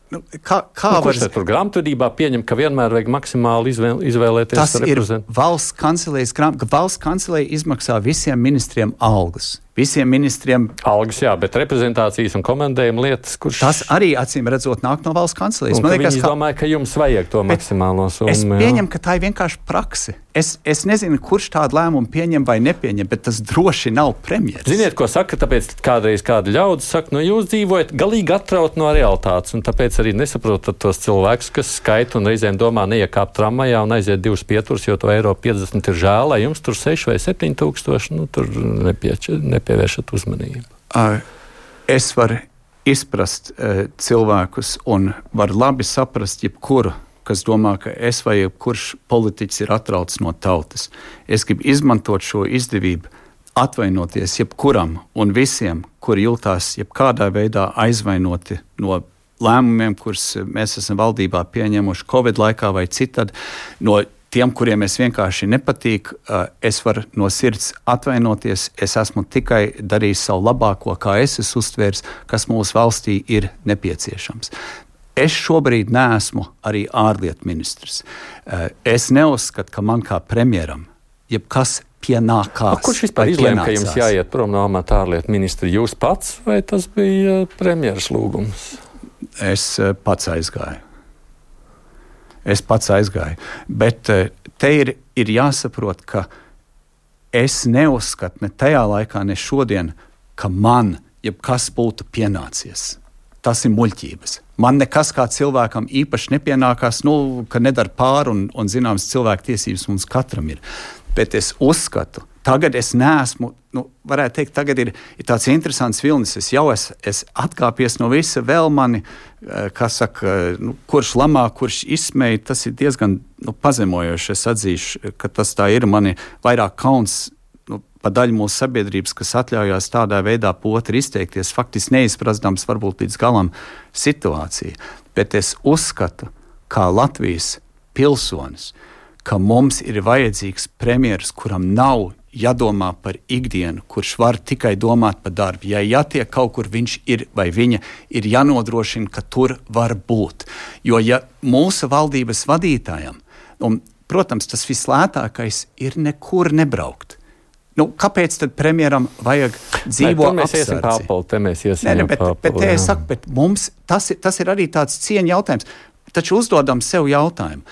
Kurš tur grāmatvedībā pieņem, ka vienmēr vajag maksimāli izvēlēties reprezentāciju? Tas ir valsts kancelējas grāmatvedība, ka valsts kancelēja izmaksā visiem ministriem algas. Visiem ministriem algas, jā, bet reprezentācijas un komandējuma lietas, kurš... Tas arī, acīm redzot, nāk no valsts kancelējas. Un viņi domāja, ka jums vajag to maksimālo summu. Es pieņemu, ka tā ir vienkārši prakse. Es nezinu, kurš tādu lēmumu pieņem vai nepieņem, bet tas droši nav premjeras. Ziniet, ko saka, tāpēc kādreiz kāda ļaudis saka, jūs dzīvojat galīgi atraut no realitātes, un tāpēc arī nesaprotat tos cilvēkus, kas skaita un reizēm domā neiekāpt tramvajā un aiziet 2 pieturas, jo to eiro 50 ir žēl, lai jums tur 6 vai 7 tūkstoši, tur nepievēršat uzmanību. Es varu izprast cilvēkus un varu labi saprast jebkuru, kas domā, ka es vai jebkurš politiķis ir atrauts no tautas. Es gribu izmantot šo izdevību, atvainoties jebkuram un visiem, kuri jūtās jebkādā veidā aizvainoti no lēmumiem, kurus mēs esam valdībā pieņēmuši Covid laikā vai citādi, no tiem, kuriem es vienkārši nepatīk, es varu no sirds atvainoties. Es esmu tikai darījis savu labāko, kā es esmu uztvērs, kas mūsu valstī ir nepieciešams. Es šobrīd neesmu arī ārlietu ministrs. Es neuzskatu, ka man kā premjeram jebkas pienākās. Kurš vispār izlēma, ka jums jāiet prom no amata ārlietu ministra? Jūs pats vai tas bija premjeras lūgums? Es pats aizgāju. Bet te ir jāsaprot, ka es neuzskatu ne tajā laikā, ne šodien, ka man jebkas būtu pienācies. Tas ir muļķības. Man nekas kā cilvēkam īpaši nepienākās, ka nedara pāri un zināmas cilvēku tiesības mums katram ir. Bet es uzskatu, tagad es neesmu, varētu teikt, tagad ir tāds interesants vilnis. Es jau esmu atkāpies no visa, vēl mani, kurš lamā, kurš izsmēja, tas ir diezgan pazemojoši. Es atzīšu, ka tas tā ir mani vairāk kauns pa daļu mūsu sabiedrības, kas atļaujās tādā veidā potri izteikties, faktiski neizprastams varbūt līdz galam situāciju. Bet es uzskatu, kā Latvijas pilsonis, ka mums ir vajadzīgs premjeras, kuram nav jādomā par ikdienu, kurš var tikai domāt par darbu. Ja jātiek kaut kur viņš ir vai viņa, ir jānodrošina, ka tur var būt. Jo ja mūsu valdības vadītājam, un, protams, tas vislētākais ir nekur nebraukt. Kāpēc tad premjeram vajag dzīvo apsardzi? Bet mums tas ir arī tāds cieņa jautājums. Taču uzdodam sev jautājumu.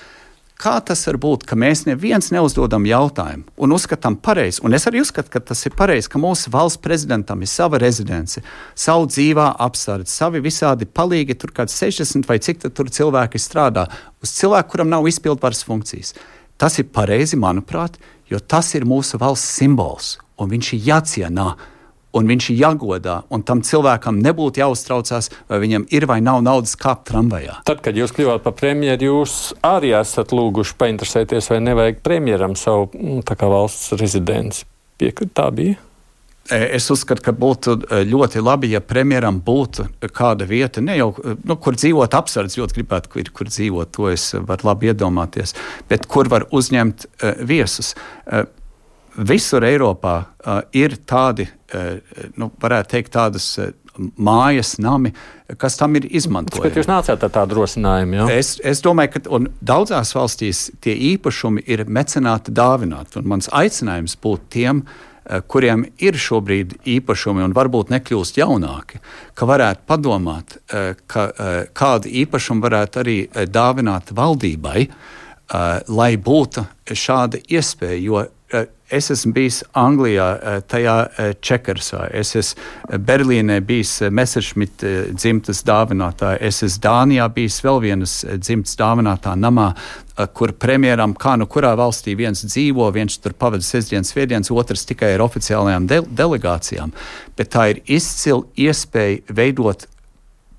Kā tas var būt, ka mēs neviens neuzdodam jautājumu un uzskatām pareizi? Un es arī uzskatu, ka tas ir pareizi, ka mūsu valsts prezidentam ir sava rezidence, savu dzīvā apsardze, savi visādi palīgi, tur kāds 60 vai cik tur cilvēki strādā, uz cilvēku, kuram nav izpildvaras funkcijas. Tas ir pareizi, manuprāt, jo tas ir mūsu valsts simbols, un viņš ir jācienā, un viņš ir jāgodā, un tam cilvēkam nebūtu jāuztraucās, vai viņam ir vai nav naudas kāpt tramvajā. Tad, kad jūs kļuvāt par premjeru, jūs arī esat lūguši painteresēties, vai nevajag premjeram savu valsts rezidenci. Piekrit, tā bija? Es uzskatu, ka būtu ļoti labi, ja premjeram būtu kāda vieta, ne jau, kur dzīvot apsardz, ļoti gribētu, kur dzīvot, to es varu labi iedomāties, bet kur var uzņemt viesus. Visur Eiropā ir tādi, varētu teikt, tādas mājas, nami, kas tam ir izmantojami. Bet jūs nācāt ar tādu rosinājumu, jā? Es domāju, ka daudzās valstīs tie īpašumi ir mecenāti dāvināti, un mans aicinājums būtu tiem, kuriem ir šobrīd īpašumi un varbūt nekļūst jaunāki, ka varētu padomāt, ka kādu īpašumu varētu arī dāvināt valdībai, lai būtu šāda iespēja, jo es esmu bijis Anglijā, tajā Čekersā, es esmu Berlīnē bijis Messerschmitt dzimtas dāvinātā, es esmu Dānijā bijis vēl vienas dzimtas dāvinātā namā, kur premjeram, kā kurā valstī viens dzīvo, viens tur pavada sestdienas, svētdienas, otrs tikai ar oficiālajām delegācijām, bet tā ir izcila iespēja veidot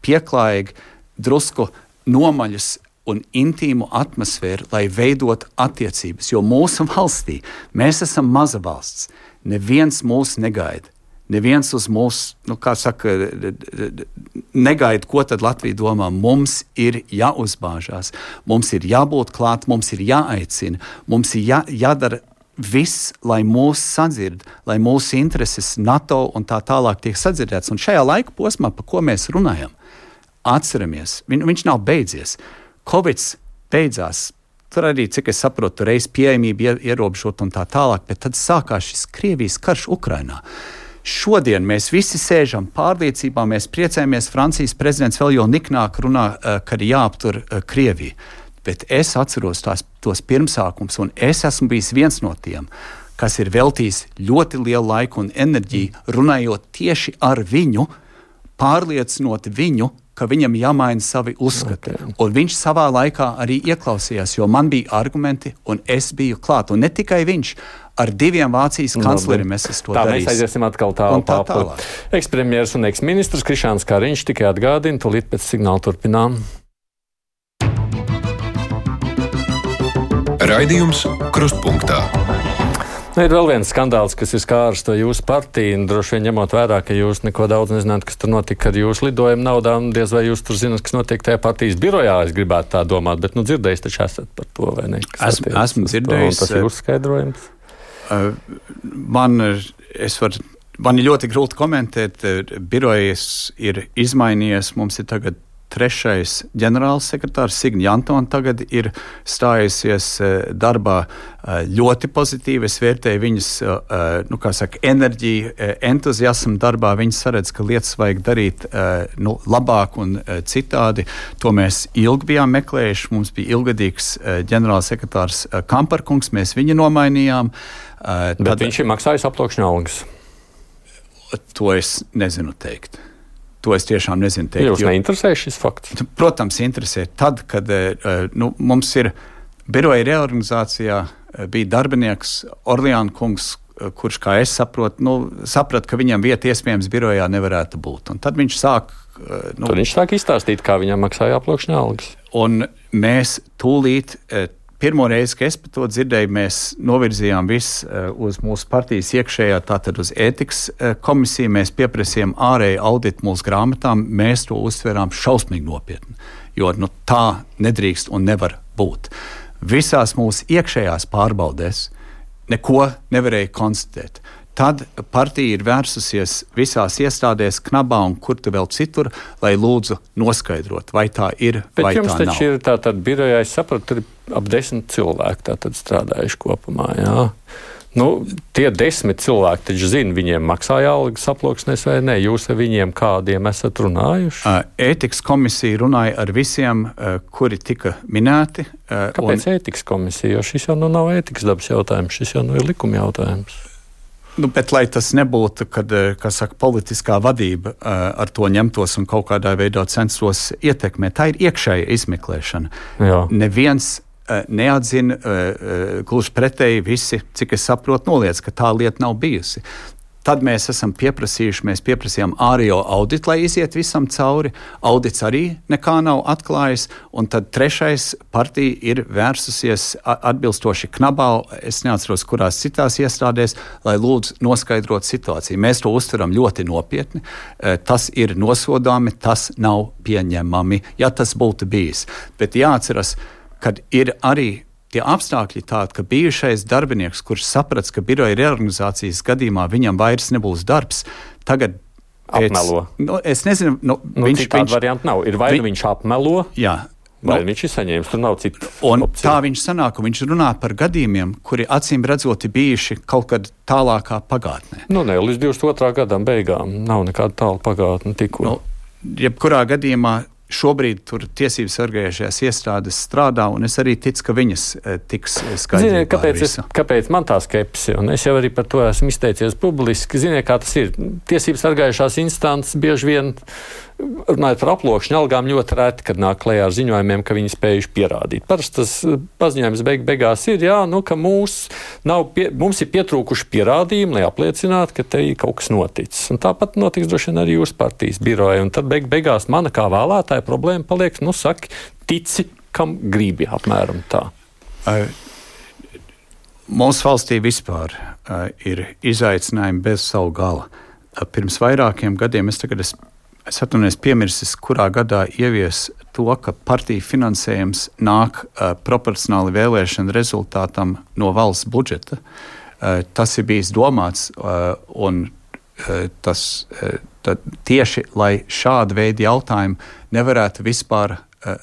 pieklājīgi, drusku nomaļus un intīmu atmosfēru, lai veidot attiecības. Jo mūsu valstī mēs esam maza valsts. Neviens mūs negaida. Neviens uz mūs, negaida, ko tad Latvija domā. Mums ir jāuzbāžās, mums ir jābūt klāt, mums ir jāaicina, mums ir jādara viss, lai mūs sadzird, lai mūsu intereses NATO un tā tālāk tiek sadzirdēts. Un šajā laika posmā, pa ko mēs runājam, atceramies, viņš nav beidzies. Covids beidzās, tur arī, cik es saprotu, reiz pieejamība ierobežot un tā tālāk, bet tad sākās šis Krievijas karš Ukrainā. Šodien mēs visi sēžam pārliecībā, mēs priecājamies, Francijas prezidents vēl jau niknāk runā, ka ir jāaptur Krieviju. Bet es atceros tos pirmsākums, un es esmu bijis viens no tiem, kas ir veltījis ļoti lielu laiku un enerģiju, runājot tieši ar viņu, pārliecinot viņu, ka viņam jāmaina savi uzskati. Okay. Un viņš savā laikā arī ieklausījās, jo man bija argumenti, un es biju klāt. Un ne tikai viņš, ar 2 Vācijas kancleriem es to darīju. Mēs aiziesim atkal tālāk. Ekspremjers un eksministrs Krišjāns Kariņš tikai atgādina, tūlīt pēc signāla turpinām. Raidījums Krustpunktā. Ir vēl viens skandāls, kas ir skārs to jūsu partiju, un droši vien ņemot vērā, ka jūs neko daudz nezināt, kas tur notika ar jūsu lidojumu naudām, diez vai jūs tur zināt, kas notiek tajā partijas birojā, es gribētu tā domāt, bet dzirdējis taču esat par to, vai ne? Esmu dzirdējis. Tas ir uzskaidrojums. Man ir ļoti grūti komentēt. Birojas ir izmainījies. Mums ir tagad 3. ģenerālsekretārs Signa Jantona tagad ir stājusies darbā ļoti pozitīvi. Es vērtēju viņas enerģiju, entuziasmu darbā. Viņa saredz, ka lietas vajag darīt labāk un citādi. To mēs ilgi bijām meklējuši. Mums bija ilgadīgs ģenerālsekretārs Kamparkungs. Mēs viņu nomainījām. Bet viņš ir maksājis aploksņa algas. To es nezinu teikt. To es tiešām nezinu teikt. Jūs neinteresē šis fakts? Protams, interesē. Tad, kad mums ir biroja reorganizācijā, bija darbinieks Orleāna kungs, kurš, kā es sapratu, ka viņam vieta iespējams birojā nevarētu būt. Un tad viņš sāk... Tad viņš sāk izstāstīt, kā viņam maksāja aploksņa algas. Un mēs tūlīt... Pirmo reizi, kad es par to dzirdēju, mēs novirzījām visu uz mūsu partijas iekšējā, tātad uz ētikas komisiju. Mēs pieprasījām ārēju auditu mūsu grāmatām. Mēs to uztverām šausmīgi nopietni, jo tā nedrīkst un nevar būt. Visās mūsu iekšējās pārbaudēs neko nevarēja konstatēt. Tad partija ir vērsusies visās iestādēs, knabā un kur tu vēl citur, lai lūdzu noskaidrot, vai tā ir, bet vai tā nav. Bet jums taču ir tātad birojā, es sapratu, tur ir ap 10 cilvēki tātad strādājuši kopumā, jā. Tie 10 cilvēki taču zina, viņiem maksāja algas aploksnēs vai ne? Jūs ar viņiem kādiem esat runājuši? Ētikas komisija runāja ar visiem, kuri tika minēti. Kāpēc ētikas komisija? Jo šis jau nav ētikas dabas jautājums, šis jau ir likuma jautājums. Bet, lai tas nebūtu, kad, kā saka, politiskā vadība ar to ņemtos un kaut kādā veidā censtos ietekmēt, tā ir iekšēja izmeklēšana. Jā. Neviens neatzina, gluži pretēji visi, cik es saprotu, noliedz, ka tā lieta nav bijusi. Tad mēs pieprasījām ārējo auditu, lai iziet visam cauri. Audits arī nekā nav atklājis. Un tad 3. partija ir vērsusies atbilstoši knabā, es neatceros, kurās citās iestādēs, lai lūdzu noskaidrot situāciju. Mēs to uztveram ļoti nopietni. Tas ir nosodāmi, tas nav pieņemami, ja tas būtu bijis. Bet jāatceras, kad ir arī tie apstākļi tādi, ka bijušais darbinieks, kurš saprats, ka biroja reorganizācijas gadījumā viņam vairs nebūs darbs, tagad apmelo. Es nezinu, citādi varianti nav. Ir vai viņš apmelo, jā, vai viņš ir saņēmis, tur nav citu un opciju. Tā viņš sanāk, un viņš runā par gadījumiem, kuri acīm redzoti bijuši kaut kad tālākā pagātnē. Līdz 22. gadam beigām nav nekāda tāla pagātne tikko. Jebkurā gadījumā šobrīd tur tiesības sargājušajās iestādes strādā, un es arī ticu, ka viņas tiks skaidrībā. Kāpēc man tā skepse? Un es jau arī par to esmu izteicies publiski. Ziniet, kā tas ir. Tiesības sargājušās instances bieži vien, runājot par aploksņa algām, ļoti reti, kad nāk klajā ar ziņojumiem, ka viņi spējuši pierādīt. Parasti tas paziņojums beigās ir, ka mums ir pietrūkuši pierādījumi, lai apliecinātu, ka te ir kaut kas noticis. Un tāpat notiks droši vien arī jūsu partijas biroja. Un tad beigās mana kā vēlētāja problēma paliek, saki, tici, kam gribi, apmēram tā. Mūsu valstī vispār ir izaicinājumi bez savu gala. Pirms vairākiem gadiem es atvainojos piemirsis, kurā gadā ievies to, ka partiju finansējums nāk proporcionāli vēlēšanu rezultātam no valsts budžeta. Tas ir bijis domāts, un tas tieši, lai šāda veida jautājumi nevarētu vispār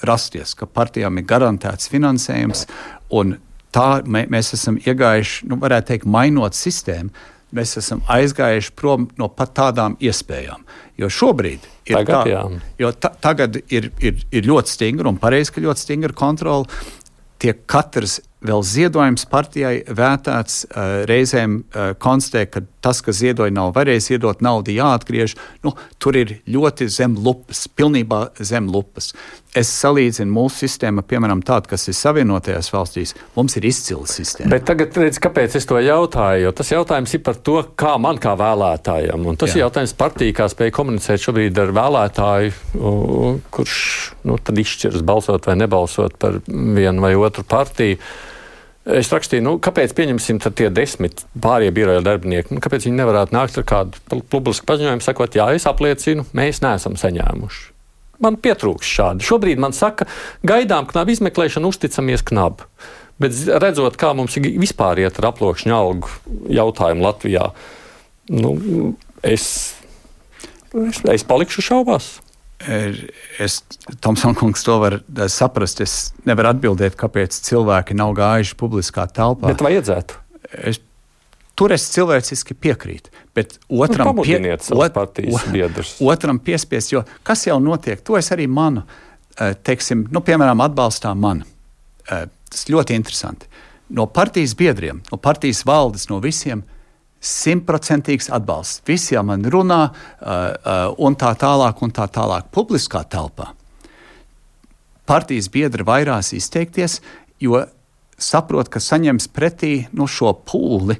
rasties, ka partijām ir garantēts finansējums, un tā mēs esam iegājuši, varētu teikt, mainot sistēmu. Mēs esam aizgājuši prom no pat tādām iespējām. Jo šobrīd tagad ir ļoti stingra un pareizi, ka ļoti stingra kontrola. Tiek katrs vēl ziedojums partijai vērtēts, reizēm konstatē, ka tas, kas ziedoja, nav varējis iedot naudu, jāatgriež. Tur ir ļoti zem lupas, pilnībā zem lupas. Es salīdzinu mūsu sistēmu, piemēram, tādu, kas ir Savienotajās valstīs. Mums ir izcila sistēma. Bet tagad redz, kāpēc es to jautāju, jo tas jautājums ir par to, kā man kā vēlētājam. Un tas ir jautājums partija, kā spēja komunicēt šobrīd ar vēlētāju, kurš tad izšķiras balsot vai nebalsot par vienu vai otru partiju. Es rakstīju, kāpēc pieņemsim tie 10 pārējie biroja darbinieki, kāpēc viņi nevarētu nākt ar kādu publisku paziņojumu, sakot, jā, es apliecinu, mēs neesam saņēmuši. Man pietrūks šādi. Šobrīd man saka, gaidām knabu izmeklēšanu, uzticamies knabu. Bet redzot, kā mums vispār iet ar aploksņa algu jautājumu Latvijā, es palikšu šaubās. Tomson kungs to var saprast. Es nevaru atbildēt, kāpēc cilvēki nav gājuši publiskā telpā. Bet vajadzētu. Tur es cilvēciski piekrītu. Bet otram otram piespiest, jo kas jau notiek, to es arī manu, teiksim, piemēram, atbalstā mani. Tas ļoti interesanti. No partijas biedriem, no partijas valdes, no visiem 100% atbalsts. Visi jau man runā un tā tālāk. Publiskā telpā partijas biedri vairās izteikties, jo saprot, ka saņems pretī šo pūli,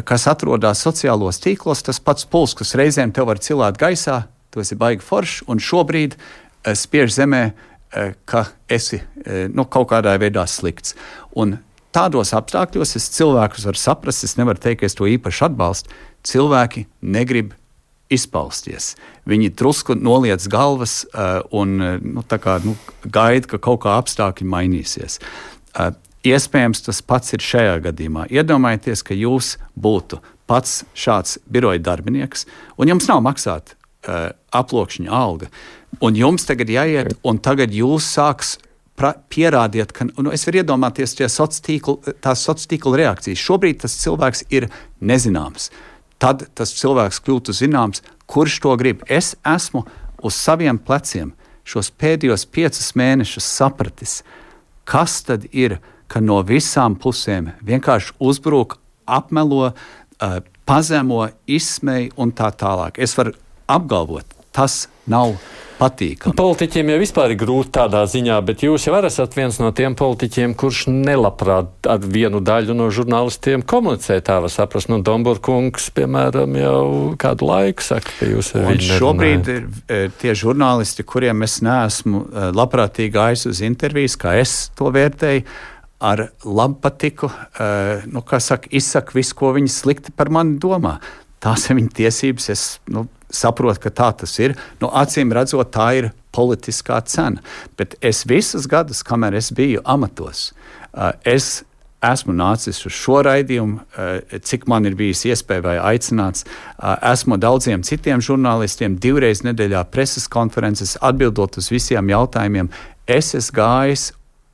kas atrodas sociālos tīklos, tas pats pūls, kas reizēm tev var cilāt gaisā, tu esi baigi foršs un šobrīd spiež zemē, ka esi kaut kādā veidā slikts. Un tādos apstākļos es cilvēkus varu saprast, es nevaru teikt, ka es to īpaši atbalstu. Cilvēki negrib izpausties. Viņi drusku noliec galvas un gaida, ka kaut kā apstākļi mainīsies. Iespējams, tas pats ir šajā gadījumā. Iedomājieties, ka jūs būtu pats šāds biroja darbinieks un jums nav maksāt aploksņa alga. Un jums tagad jāiet un tagad jūs sāks pierādiet, ka es varu iedomāties tās sociālo tīklu reakcijas. Šobrīd tas cilvēks ir nezināms. Tad tas cilvēks kļūtu zināms, kurš to grib. Es esmu uz saviem pleciem šos pēdējos 5 mēnešus sapratis, kas tad ir, ka no visām pusēm vienkārši uzbruk, apmelo, pazemo, izsmej un tā tālāk. Es varu apgalvot, tas nav patīkami. Politiķiem jau vispār ir grūti tādā ziņā, bet jūs jau esat viens no tiem politiķiem, kurš nelabprāt ar vienu daļu no žurnālistiem komunicē, tā var saprast. Domburkungs, piemēram, jau kādu laiku saka, ka jūs ar viņu nerunājat. Šobrīd tie žurnālisti, kuriem es neesmu labprātīgi gājis uz intervijas, kā es to vērtēju, ar labpatiku, izsaka visu, ko viņi slikti par mani domā. Tās ir viņa tiesības, es saprotu, ka tā tas ir. Acīm redzot, tā ir politiskā cena. Bet es visus gadus, kamēr es biju amatos, es esmu nācis uz šo raidījumu, cik man ir bijis iespēja vai aicināts. Esmu daudziem citiem žurnālistiem 2 reizes nedēļā preses konferences, atbildot uz visiem jautājumiem. Es esmu gājis,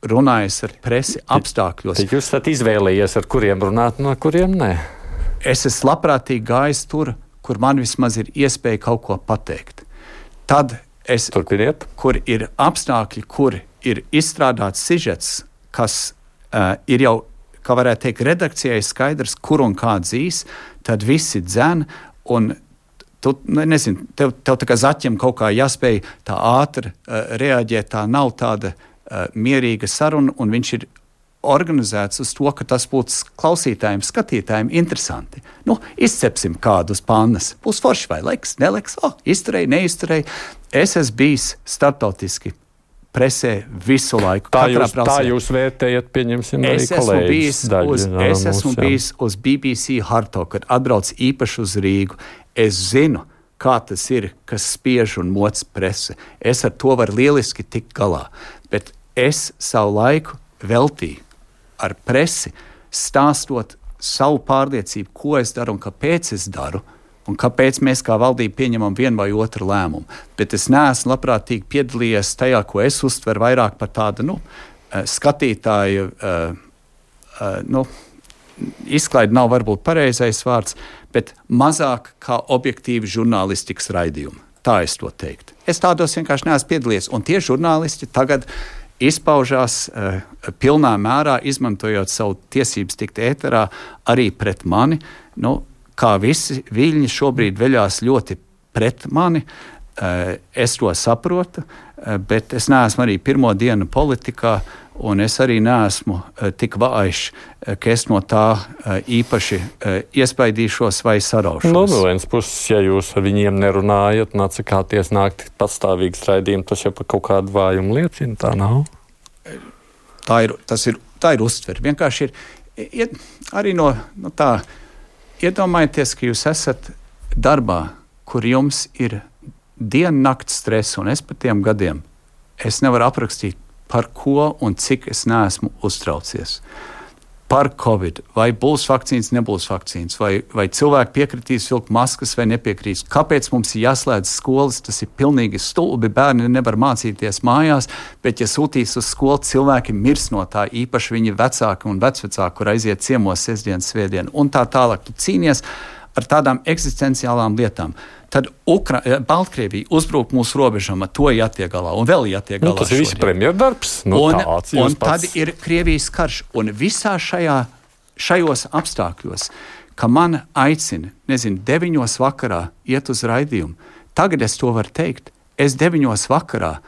runājis ar presi apstākļos. Tad jūs esat izvēlējies, ar kuriem runāt, no kuriem nē? Es esmu labprātīgi gājis tur, kur man vismaz ir iespēja kaut ko pateikt. Tad kur ir apstākļi, kur ir izstrādāts sižets, kas ir jau, kā varētu teikt, redakcijai skaidrs, kur un kā dzīs, tad visi dzen, un tu, tev tā kā zaķiem kaut kā jāspēj tā ātri reaģēt, tā nav tāda mierīga saruna, un viņš ir organizēts uz to, ka tas būtu klausītājiem, skatītājiem interesanti. Izcepsim kādu uz pannas. Būs forši vai leks, neleks, izturēji, neizturēji. Es esmu bijis starptautiski presē visu laiku. Tā jūs vērtējat, pieņemsim, arī kolēģis daļu. Es esmu bijis uz BBC Harto, kad atbrauc īpaši uz Rīgu. Es zinu, kā tas ir, kas spiež un moc prese. Es ar to varu lieliski tikt galā. Bet es savu laiku veltīju ar presi, stāstot savu pārliecību, ko es daru un kāpēc es daru, un kāpēc mēs kā valdība pieņemam vienu vai otru lēmumu. Bet es neesmu labprātīgi piedalījies tajā, ko es uztveru vairāk par tādu skatītāju, izklaidi nav varbūt pareizais vārds, bet mazāk kā objektīvi žurnālistikas raidījumi. Tā es to teiktu. Es tādos vienkārši neesmu piedalījies, un tie žurnālisti tagad izpaužās pilnā mērā, izmantojot savu tiesības tikt ēterā arī pret mani. Kā visi viļņi šobrīd veļās ļoti pret mani, es to saprotu, bet es neesmu arī pirmo dienu politikā, un es arī neesmu tik vājš, ka es no tā īpaši iespaidīšos vai saraušos. No vienas puses, ja jūs ar viņiem nerunājat un atsakāties nākt pastāvīgs raidījums, tas jau par kaut kādu vājumu liecina, tā nav? Tā ir uztvere. Vienkārši ir, arī no tā, iedomājieties, ka jūs esat darbā, kur jums ir diennakts stress, un es par tiem gadiem, es nevaru aprakstīt, par ko un cik es neesmu uztraucies. Par Covid, vai būs vakcīnas, nebūs vakcīnas, vai cilvēki piekritīs vilkt maskas vai nepiekritīs. Kāpēc mums ir jāslēdz skolas? Tas ir pilnīgi stulbi. Bērni nevar mācīties mājās, bet ja sūtīs uz skolu, cilvēki mirs no tā, īpaši viņi vecāki un vecvecāki, kur aiziet ciemos sestdienas, svētdien un tā tālāk. Tu cīnies ar tādām eksistenciālām lietām. Tad Baltkrievija uzbruk mūsu robežām, ar to jātiek galā un vēl jātiek galā. Tas ir viss premjerdarbs. Un tad ir Krievijas karš. Un visā šajos apstākļos, ka man aicina, 9 vakarā iet uz raidījumu, tagad es to varu teikt, es 9 vakarā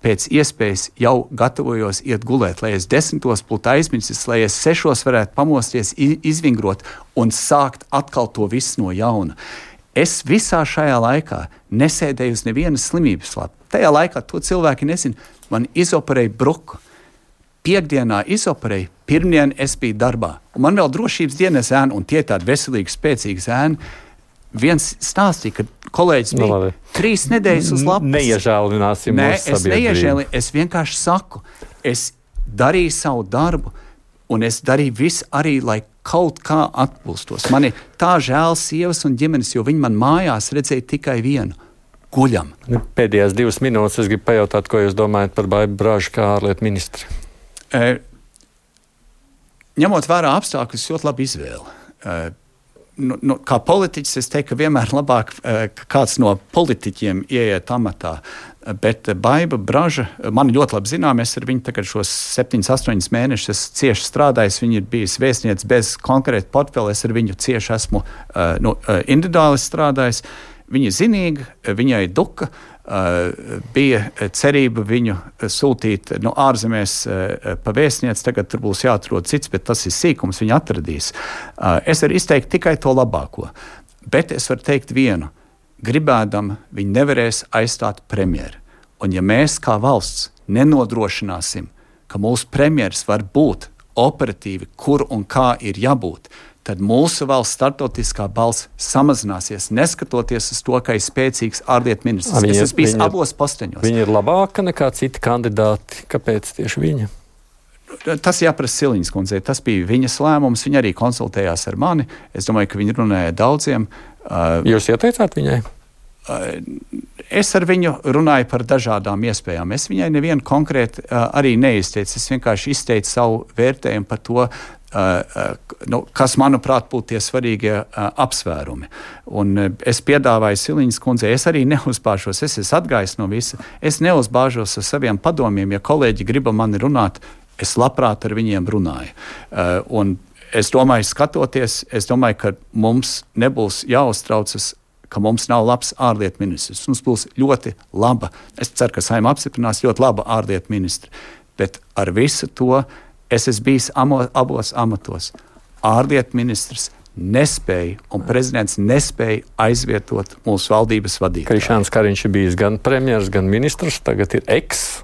pēc iespējas jau gatavojos iet gulēt, lai es 10 būtu aizmirsis, lai es 6 varētu pamosties, izvingrot un sākt atkal to visu no jauna. Es visā šajā laikā nesēdēju uz nevienas slimības lapu. Tajā laikā to cilvēki nezina. Man izoperēja bruku. Piektdienā izoperēja, pirmdien es biju darbā. Un man vēl drošības dienas ēna, un tie tādi veselīgi, spēcīgi ēni. Viens stāstīja, ka kolēģis bija 3 nedēļas uz lapas. Neiežēlināsim mūsu sabiedrību. Es neiežēlinu, es vienkārši saku, es darīju savu darbu, un es darīju visu arī, lai kaut kā atpūstos. Man ir tā žēl sievas un ģimenes, jo viņi man mājās redzēja tikai vienu – guļam. Pēdējās 2 minūtes es gribu pajautāt, ko jūs domājat par Baibu Bražu kā ārlietu ministri? Ņemot vērā apstākļus, ļoti labi izvēle. Kā politiķis es teiktu, ka vienmēr labāk kāds no politiķiem ieiet amatā. Bet Baiba Braža, man ļoti labi zinām, es ar viņu tagad šos 7-8 mēnešus cieši strādājis. Viņa ir bijis vēstniece bez konkrēta portfeļa, es ar viņu cieši esmu individuāli strādājis. Viņa ir zinīga, viņai duka, bija cerība viņu sūtīt ārzemēs pa vēstnieci, tagad tur būs jāatrod cits, bet tas ir sīkums, viņa atradīs. Es varu izteikt tikai to labāko, bet es varu teikt vienu. Gribēdam, viņi nevarēs aizstāt premjeru. Un ja mēs kā valsts nenodrošināsim, ka mūsu premjeras var būt operatīvi, kur un kā ir jābūt, tad mūsu valsts startautiskā balss samazināsies, neskatoties uz to, ka ir spēcīgs ārlietu ministrs. Es esmu bijis abos posteņos. Viņa ir labāka nekā citi kandidāti. Kāpēc tieši viņa? Tas jāprasa Siliņas kundzei. Tas bija viņas lēmums. Viņa arī konsultējās ar mani. Es domāju, ka viņa runāja daudziem. Jūs ieteicāt viņai? Es ar viņu runāju par dažādām iespējām. Es viņai nevienu konkrēti arī neizteicu. Es vienkārši izteicu savu vērtējumu par to, kas, manuprāt, būtu tie svarīgie apsvērumi. Un es piedāvāju Siliņas kundzei, es arī neuzbāžos, es esmu atgājis no visa, es neuzbāžos ar saviem padomiem, ja kolēģi griba mani runāt, es labprāt ar viņiem runāju. Un es domāju, skatoties, ka mums nebūs jāuztraucas, ka mums nav labs ārlietu ministrs. Mums būs ļoti laba, es ceru, ka Saeima apstiprinās ļoti laba ārlietu ministra, bet ar visu to es esmu bijis abos amatos. Ārlietu ministrs nespēja un prezidents nespēja aizvietot mūsu valdības vadītāju. Krišjāns Kariņš ir bijis gan premjers, gan ministrs, tagad ir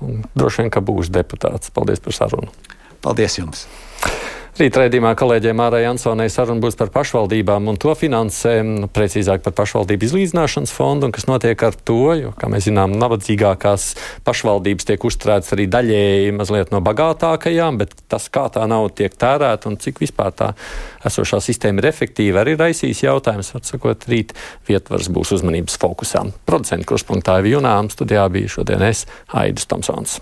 un droši vien, ka būs deputāts. Paldies par sarunu. Paldies jums. Rīt raidījumā kolēģiem Mārai Ansonai saruna būs par pašvaldībām un to finansēm, precīzāk par pašvaldību izlīdzināšanas fondu un kas notiek ar to, jo, kā mēs zinām, nabadzīgākās pašvaldības tiek uzturētas arī daļēji mazliet no bagātākajām, bet tas, kā tā nauda tiek tērēta un cik vispār tā esošā sistēma ir efektīva, arī raisīs jautājums. Var sakot, rīt Vietvars būs uzmanības fokusā. Producenta Kruspunktā Iva Junām, studijā bija šodien es, Aidis Tomsons.